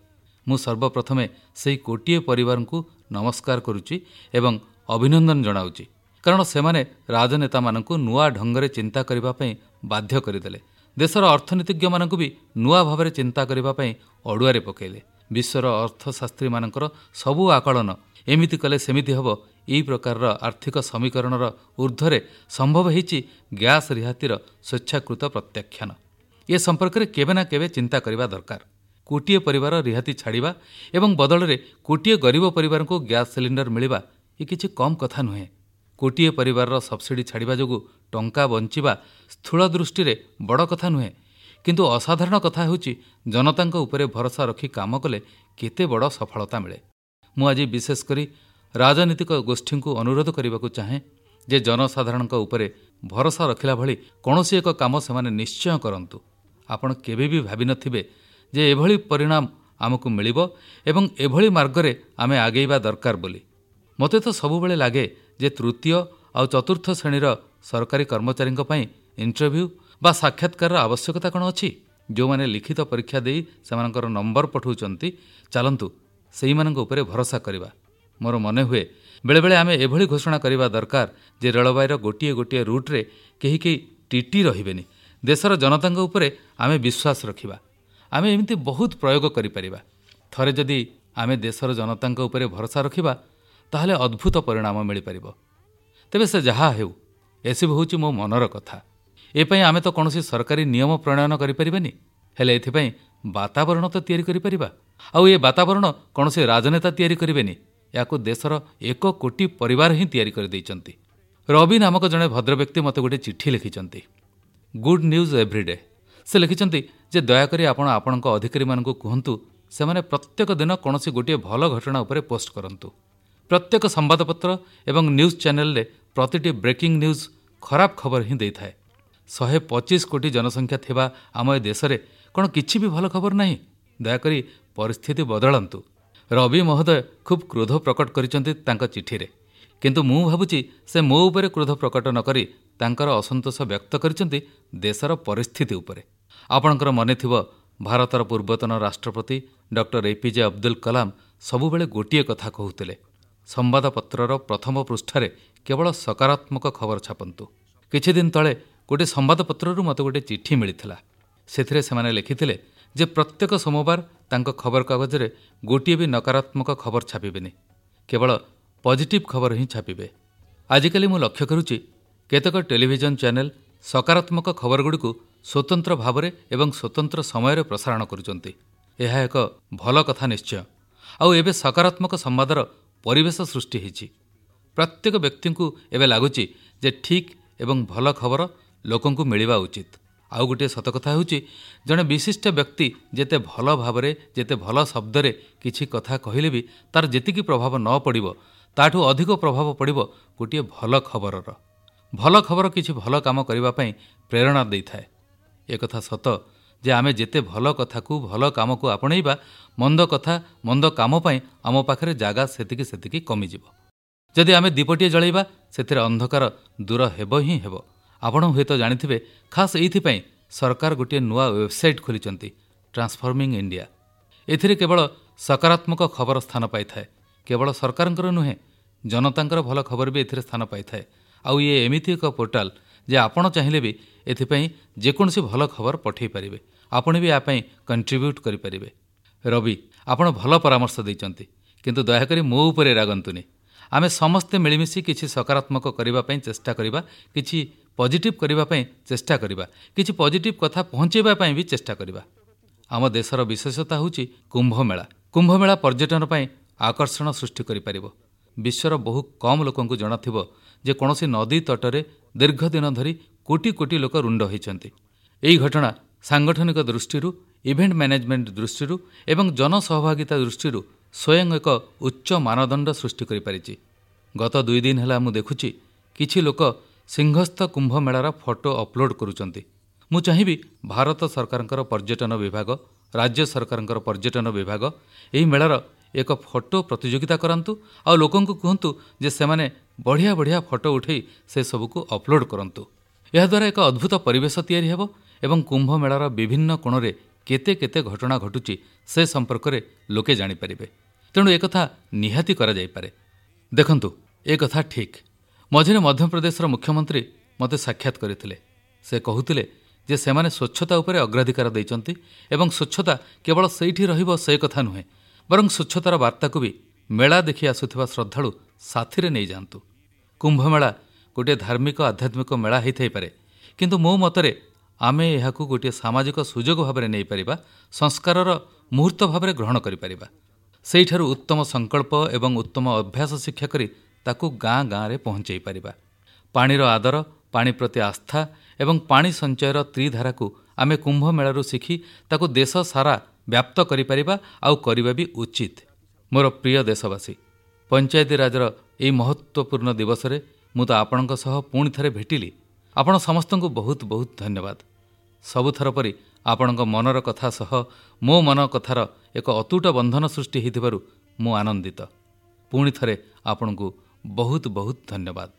ମୁଁ ସର୍ବପ୍ରଥମେ ସେହି କୋଟିଏ ପରିବାରଙ୍କୁ ନମସ୍କାର କରୁଛି ଏବଂ ଅଭିନନ୍ଦନ ଜଣାଉଛି, କାରଣ ସେମାନେ ରାଜନେତାମାନଙ୍କୁ ନୂଆ ଢଙ୍ଗରେ ଚିନ୍ତା କରିବା ପାଇଁ ବାଧ୍ୟ କରିଦେଲେ। ଦେଶର ଅର୍ଥନୀତିଜ୍ଞମାନଙ୍କୁ ବି ନୂଆ ଭାବରେ ଚିନ୍ତା କରିବା ପାଇଁ ଅଡ଼ୁଆରେ ପକାଇଲେ। ବିଶ୍ୱର ଅର୍ଥଶାସ୍ତ୍ରୀମାନଙ୍କର ସବୁ ଆକଳନ ଏମିତି କଲେ ସେମିତି ହେବ, ଏହି ପ୍ରକାରର ଆର୍ଥିକ ସମୀକରଣର ଊର୍ଦ୍ଧ୍ୱରେ ସମ୍ଭବ ହୋଇଛି ଗ୍ୟାସ୍ ରିହାତିର ସ୍ୱେଚ୍ଛାକୃତ ପ୍ରତ୍ୟାଖ୍ୟାନ। ଏ ସମ୍ପର୍କରେ କେବେ ନା କେବେ ଚିନ୍ତା କରିବା ଦରକାର। କୋଟିଏ ପରିବାର ରିହାତି ଛାଡ଼ିବା ଏବଂ ବଦଳରେ କୋଟିଏ ଗରିବ ପରିବାରଙ୍କୁ ଗ୍ୟାସ୍ ସିଲିଣ୍ଡର ମିଳିବା, ଏ କିଛି କମ୍ କଥା ନୁହେଁ। କୋଟିଏ ପରିବାରର ସବସିଡି ଛାଡ଼ିବା ଯୋଗୁଁ ଟଙ୍କା ବଞ୍ଚିବା ସ୍ଥୂଳ ଦୃଷ୍ଟିରେ ବଡ଼ କଥା ନୁହେଁ, କିନ୍ତୁ ଅସାଧାରଣ କଥା ହେଉଛି ଜନତାଙ୍କ ଉପରେ ଭରସା ରଖି କାମ କଲେ କେତେ ବଡ଼ ସଫଳତା ମିଳେ। ମୁଁ ଆଜି ବିଶେଷ କରି ରାଜନୈତିକ ଗୋଷ୍ଠୀଙ୍କୁ ଅନୁରୋଧ କରିବାକୁ ଚାହେଁ ଯେ ଜନସାଧାରଣଙ୍କ ଉପରେ ଭରସା ରଖିଲା ଭଳି କୌଣସି ଏକ କାମ ସେମାନେ ନିଶ୍ଚୟ କରନ୍ତୁ। ଆପଣ କେବେ ବି ଭାବିନଥିବେ ଯେ ଏଭଳି ପରିଣାମ ଆମକୁ ମିଳିବ ଏବଂ ଏଭଳି ମାର୍ଗରେ ଆମେ ଆଗେଇବା ଦରକାର ବୋଲି। ମୋତେ ତ ସବୁବେଳେ ଲାଗେ ଯେ ତୃତୀୟ ଆଉ ଚତୁର୍ଥ ଶ୍ରେଣୀର ସରକାରୀ କର୍ମଚାରୀଙ୍କ ପାଇଁ ଇଣ୍ଟରଭ୍ୟୁ ବା ସାକ୍ଷାତକାରର ଆବଶ୍ୟକତା କ'ଣ ଅଛି? ଯେଉଁମାନେ ଲିଖିତ ପରୀକ୍ଷା ଦେଇ ସେମାନଙ୍କର ନମ୍ବର ପଠାଉଛନ୍ତି, ଚାଲନ୍ତୁ ସେଇମାନଙ୍କ ଉପରେ ଭରସା କରିବା। ମୋର ମନେହୁଏ ବେଳେବେଳେ ଆମେ ଏଭଳି ଘୋଷଣା କରିବା ଦରକାର ଯେ ରେଳବାଇର ଗୋଟିଏ ଗୋଟିଏ ରୁଟ୍ରେ କେହି କେହି ଟିଟି ରହିବେନି। ଦେଶର ଜନତାଙ୍କ ଉପରେ ଆମେ ବିଶ୍ୱାସ ରଖିବା। ଆମେ ଏମିତି ବହୁତ ପ୍ରୟୋଗ କରିପାରିବା। ଥରେ ଯଦି ଆମେ ଦେଶର ଜନତାଙ୍କ ଉପରେ ଭରସା ରଖିବା, ତାହେଲେ ଅଦ୍ଭୁତ ପରିଣାମ ମିଳିପାରିବ। ତେବେ ସେ ଯାହା ହେଉ, ଏସବୁ ହେଉଛି ମୋ ମନର କଥା। ଏପାଇଁ ଆମେ ତ କୌଣସି ସରକାରୀ ନିୟମ ପ୍ରଣୟନ କରିପାରିବାନି, ହେଲେ ଏଥିପାଇଁ ବାତାବରଣ ତ ତିଆରି କରିପାରିବା। ଆଉ ଏ ବାତାବରଣ କୌଣସି ରାଜନେତା ତିଆରି କରିବେନି, ଏହାକୁ ଦେଶର ଏକ କୋଟି ପରିବାର ହିଁ ତିଆରି କରିଦେଇଛନ୍ତି। ରବି ନାମକ ଜଣେ ଭଦ୍ରବ୍ୟକ୍ତି ମୋତେ ଗୋଟିଏ ଚିଠି ଲେଖିଛନ୍ତି, ଗୁଡ୍ ନ୍ୟୁଜ୍ ଏଭ୍ରିଡେ। ସେ ଲେଖିଛନ୍ତି ଯେ ଦୟାକରି ଆପଣ ଆପଣଙ୍କ ଅଧିକାରୀମାନଙ୍କୁ କୁହନ୍ତୁ ସେମାନେ ପ୍ରତ୍ୟେକ ଦିନ କୌଣସି ଗୋଟିଏ ଭଲ ଘଟଣା ଉପରେ ପୋଷ୍ଟ କରନ୍ତୁ। ପ୍ରତ୍ୟେକ ସମ୍ବାଦପତ୍ର ଏବଂ ନ୍ୟୁଜ୍ ଚ୍ୟାନେଲରେ ପ୍ରତିଟି ବ୍ରେକିଂ ନ୍ୟୁଜ୍ ଖରାପ ଖବର ହିଁ ଦେଇଥାଏ। ଶହେ ପଚିଶ କୋଟି ଜନସଂଖ୍ୟା ଥିବା ଆମ ଏ ଦେଶରେ କ'ଣ କିଛି ବି ଭଲ ଖବର ନାହିଁ? ଦୟାକରି ପରିସ୍ଥିତି ବଦଳାନ୍ତୁ। ରବି ମହୋଦୟ ଖୁବ୍ କ୍ରୋଧ ପ୍ରକଟ କରିଛନ୍ତି ତାଙ୍କ ଚିଠିରେ, କିନ୍ତୁ ମୁଁ ଭାବୁଛି ସେ ମୋ ଉପରେ କ୍ରୋଧ ପ୍ରକଟ ନ କରି ତାଙ୍କର ଅସନ୍ତୋଷ ବ୍ୟକ୍ତ କରିଛନ୍ତି ଦେଶର ପରିସ୍ଥିତି ଉପରେ। ଆପଣଙ୍କର ମନେଥିବ ଭାରତର ପୂର୍ବତନ ରାଷ୍ଟ୍ରପତି doctor A P J Abdul Kalam ସବୁବେଳେ ଗୋଟିଏ କଥା କହୁଥିଲେ, ସମ୍ବାଦପତ୍ରର ପ୍ରଥମ ପୃଷ୍ଠାରେ କେବଳ ସକାରାତ୍ମକ ଖବର ଛାପନ୍ତୁ। କିଛିଦିନ ତଳେ ଗୋଟିଏ ସମ୍ବାଦପତ୍ରରୁ ମୋତେ ଗୋଟିଏ ଚିଠି ମିଳିଥିଲା। ସେଥିରେ ସେମାନେ ଲେଖିଥିଲେ ଯେ ପ୍ରତ୍ୟେକ ସୋମବାର ତାଙ୍କ ଖବରକାଗଜରେ ଗୋଟିଏ ବି ନକାରାତ୍ମକ ଖବର ଛାପିବେନି, କେବଳ ପଜିଟିଭ୍ ଖବର ହିଁ ଛାପିବେ। ଆଜିକାଲି ମୁଁ ଲକ୍ଷ୍ୟ କରୁଛି କେତେକ ଟେଲିଭିଜନ ଚ୍ୟାନେଲ ସକାରାତ୍ମକ ଖବରଗୁଡ଼ିକୁ ସ୍ୱତନ୍ତ୍ର ଭାବରେ ଏବଂ ସ୍ୱତନ୍ତ୍ର ସମୟରେ ପ୍ରସାରଣ କରୁଛନ୍ତି। ଏହା ଏକ ଭଲ କଥା ନିଶ୍ଚୟ। ଆଉ ଏବେ ସକାରାତ୍ମକ ସମ୍ବାଦର ପରିବେଶ ସୃଷ୍ଟି ହୋଇଛି। ପ୍ରତ୍ୟେକ ବ୍ୟକ୍ତିଙ୍କୁ ଏବେ ଲାଗୁଛି ଯେ ଠିକ୍ ଏବଂ ଭଲ ଖବର ଲୋକଙ୍କୁ ମିଳିବା ଉଚିତ। ଆଉ ଗୋଟିଏ ସତ କଥା ହେଉଛି, ଜଣେ ବିଶିଷ୍ଟ ବ୍ୟକ୍ତି ଯେତେ ଭଲ ଭାବରେ, ଯେତେ ଭଲ ଶବ୍ଦରେ କିଛି କଥା କହିଲେ ବି ତାର ଯେତିକି ପ୍ରଭାବ ନ ପଡ଼ିବ, ତାଠୁ ଅଧିକ ପ୍ରଭାବ ପଡ଼ିବ ଗୋଟିଏ ଭଲ ଖବରର। ଭଲ ଖବର କିଛି ଭଲ କାମ କରିବା ପାଇଁ ପ୍ରେରଣା ଦେଇଥାଏ। ଏକଥା ସତ ଯେ ଆମେ ଯେତେ ଭଲ କଥାକୁ, ଭଲ କାମକୁ ଆପଣେଇବା, ମନ୍ଦ କଥା, ମନ୍ଦ କାମ ପାଇଁ ଆମ ପାଖରେ ଜାଗା ସେତିକି ସେତିକି କମିଯିବ। ଯଦି ଆମେ ଦୀପଟିଏ ଜଳାଇବା, ସେଥିରେ ଅନ୍ଧକାର ଦୂର ହେବ ହିଁ ହେବ। ଆପଣ ହୁଏତ ଜାଣିଥିବେ, ଖାସ୍ ଏଇଥିପାଇଁ ସରକାର ଗୋଟିଏ ନୂଆ ୱେବସାଇଟ୍ ଖୋଲିଛନ୍ତି, ଟ୍ରାନ୍ସଫର୍ମିଂ ଇଣ୍ଡିଆ। ଏଥିରେ କେବଳ ସକାରାତ୍ମକ ଖବର ସ୍ଥାନ ପାଇଥାଏ। କେବଳ ସରକାରଙ୍କର ନୁହେଁ, ଜନତାଙ୍କର ଭଲ ଖବର ବି ଏଥିରେ ସ୍ଥାନ ପାଇଥାଏ। ଆଉ ଇଏ ଏମିତି ଏକ ପୋର୍ଟାଲ ଯେ ଆପଣ ଚାହିଁଲେ ବି ଏଥିପାଇଁ ଯେକୌଣସି ଭଲ ଖବର ପଠାଇ ପାରିବେ। ଆପଣ ବି ୟା ପାଇଁ କଣ୍ଟ୍ରିବ୍ୟୁଟ୍ କରିପାରିବେ। ରବି, ଆପଣ ଭଲ ପରାମର୍ଶ ଦେଇଛନ୍ତି, କିନ୍ତୁ ଦୟାକରି ମୋ ଉପରେ ରାଗନ୍ତୁନି। ଆମେ ସମସ୍ତେ ମିଳିମିଶି କିଛି ସକାରାତ୍ମକ କରିବା ପାଇଁ ଚେଷ୍ଟା କରିବା, କିଛି ପଜିଟିଭ୍ କରିବା ପାଇଁ ଚେଷ୍ଟା କରିବା, କିଛି ପଜିଟିଭ୍ କଥା ପହଞ୍ଚାଇବା ପାଇଁ ବି ଚେଷ୍ଟା କରିବା। ଆମ ଦେଶର ବିଶେଷତା ହେଉଛି କୁମ୍ଭମେଳା। କୁମ୍ଭମେଳା ପର୍ଯ୍ୟଟନ ପାଇଁ ଆକର୍ଷଣ ସୃଷ୍ଟି କରିପାରିବ। ବିଶ୍ୱର ବହୁ କମ୍ ଲୋକଙ୍କୁ ଜଣାଥିବ ଯେ କୌଣସି ନଦୀ ତଟରେ ଦୀର୍ଘ ଦିନ ଧରି କୋଟି କୋଟି ଲୋକ ରୁଣ୍ଡ ହୋଇଛନ୍ତି। ଏହି ଘଟଣା ସାଂଗଠନିକ ଦୃଷ୍ଟିରୁ, ଇଭେଣ୍ଟ ମ୍ୟାନେଜମେଣ୍ଟ ଦୃଷ୍ଟିରୁ ଏବଂ ଜନସହଭାଗିତା ଦୃଷ୍ଟିରୁ ସ୍ୱୟଂ ଏକ ଉଚ୍ଚ ମାନଦଣ୍ଡ ସୃଷ୍ଟି କରିପାରିଛି। ଗତ ଦୁଇ ଦିନ ହେଲା ମୁଁ ଦେଖୁଛି କିଛି ଲୋକ ସିଂହସ୍ଥ କୁମ୍ଭମେଳାର ଫଟୋ ଅପଲୋଡ୍ କରୁଛନ୍ତି। ମୁଁ ଚାହିଁବି ଭାରତ ସରକାରଙ୍କର ପର୍ଯ୍ୟଟନ ବିଭାଗ, ରାଜ୍ୟ ସରକାରଙ୍କର ପର୍ଯ୍ୟଟନ ବିଭାଗ ଏହି ମେଳାର ଏକ ଫଟୋ ପ୍ରତିଯୋଗିତା କରାନ୍ତୁ ଆଉ ଲୋକଙ୍କୁ କୁହନ୍ତୁ ଯେ ସେମାନେ ବଢ଼ିଆ ବଢ଼ିଆ ଫଟୋ ଉଠାଇ ସେସବୁକୁ ଅପଲୋଡ୍ କରନ୍ତୁ। ଏହାଦ୍ୱାରା ଏକ ଅଦ୍ଭୁତ ପରିବେଶ ତିଆରି ହେବ ଏବଂ କୁମ୍ଭମେଳାର ବିଭିନ୍ନ କୋଣରେ କେତେ କେତେ ଘଟଣା ଘଟୁଛି ସେ ସମ୍ପର୍କରେ ଲୋକେ ଜାଣିପାରିବେ। ତେଣୁ ଏକଥା ନିହାତି କରାଯାଇପାରେ। ଦେଖନ୍ତୁ, ଏ କଥା ଠିକ୍। ମଝିରେ ମଧ୍ୟପ୍ରଦେଶର ମୁଖ୍ୟମନ୍ତ୍ରୀ ମୋତେ ସାକ୍ଷାତ କରିଥିଲେ। ସେ କହୁଥିଲେ ଯେ ସେମାନେ ସ୍ୱଚ୍ଛତା ଉପରେ ଅଗ୍ରାଧିକାର ଦେଇଛନ୍ତି ଏବଂ ସ୍ୱଚ୍ଛତା କେବଳ ସେଇଠି ରହିବ ସେ କଥା ନୁହେଁ, ବରଂ ସ୍ୱଚ୍ଛତାର ବାର୍ତ୍ତାକୁ ବି ମେଳା ଦେଖି ଆସୁଥିବା ଶ୍ରଦ୍ଧାଳୁ ସାଥିରେ ନେଇଯାଆନ୍ତୁ। କୁମ୍ଭମେଳା ଗୋଟିଏ ଧାର୍ମିକ ଆଧ୍ୟାତ୍ମିକ ମେଳା ହୋଇଥାଇପାରେ, କିନ୍ତୁ ମୋ ମତରେ ଆମେ ଏହାକୁ ଗୋଟିଏ ସାମାଜିକ ସୁଯୋଗ ଭାବରେ ନେଇପାରିବା, ସଂସ୍କାରର ମୁହୂର୍ତ୍ତ ଭାବରେ ଗ୍ରହଣ କରିପାରିବା। ସେଇଠାରୁ ଉତ୍ତମ ସଂକଳ୍ପ ଏବଂ ଉତ୍ତମ ଅଭ୍ୟାସ ଶିକ୍ଷା କରି ତାକୁ ଗାଁ ଗାଁରେ ପହଞ୍ଚାଇ ପାରିବା। ପାଣିର ଆଦର, ପାଣି ପ୍ରତି ଆସ୍ଥା ଏବଂ ପାଣି ସଞ୍ଚୟର ତ୍ରିଧାରାକୁ ଆମେ କୁମ୍ଭମେଳାରୁ ଶିଖି ତାକୁ ଦେଶ ସାରା ବ୍ୟାପ୍ତ କରିପାରିବା ଆଉ କରିବା ବି ଉଚିତ। ମୋର ପ୍ରିୟ ଦେଶବାସୀ, ପଞ୍ଚାୟତିରାଜର ଏହି ମହତ୍ତ୍ୱପୂର୍ଣ୍ଣ ଦିବସରେ ମୁଁ ତ ଆପଣଙ୍କ ସହ ପୁଣି ଥରେ ଭେଟିଲି। ଆପଣ ସମସ୍ତଙ୍କୁ ବହୁତ ବହୁତ ଧନ୍ୟବାଦ। ସବୁଥର ପରି ଆପଣଙ୍କ ମନର କଥା ସହ ମୋ ମନ କଥାର ଏକ ଅତୁଟ ବନ୍ଧନ ସୃଷ୍ଟି ହୋଇଥିବାରୁ ମୁଁ ଆନନ୍ଦିତ। ପୁଣି ଥରେ ଆପଣଙ୍କୁ ବହୁତ ବହୁତ ଧନ୍ୟବାଦ।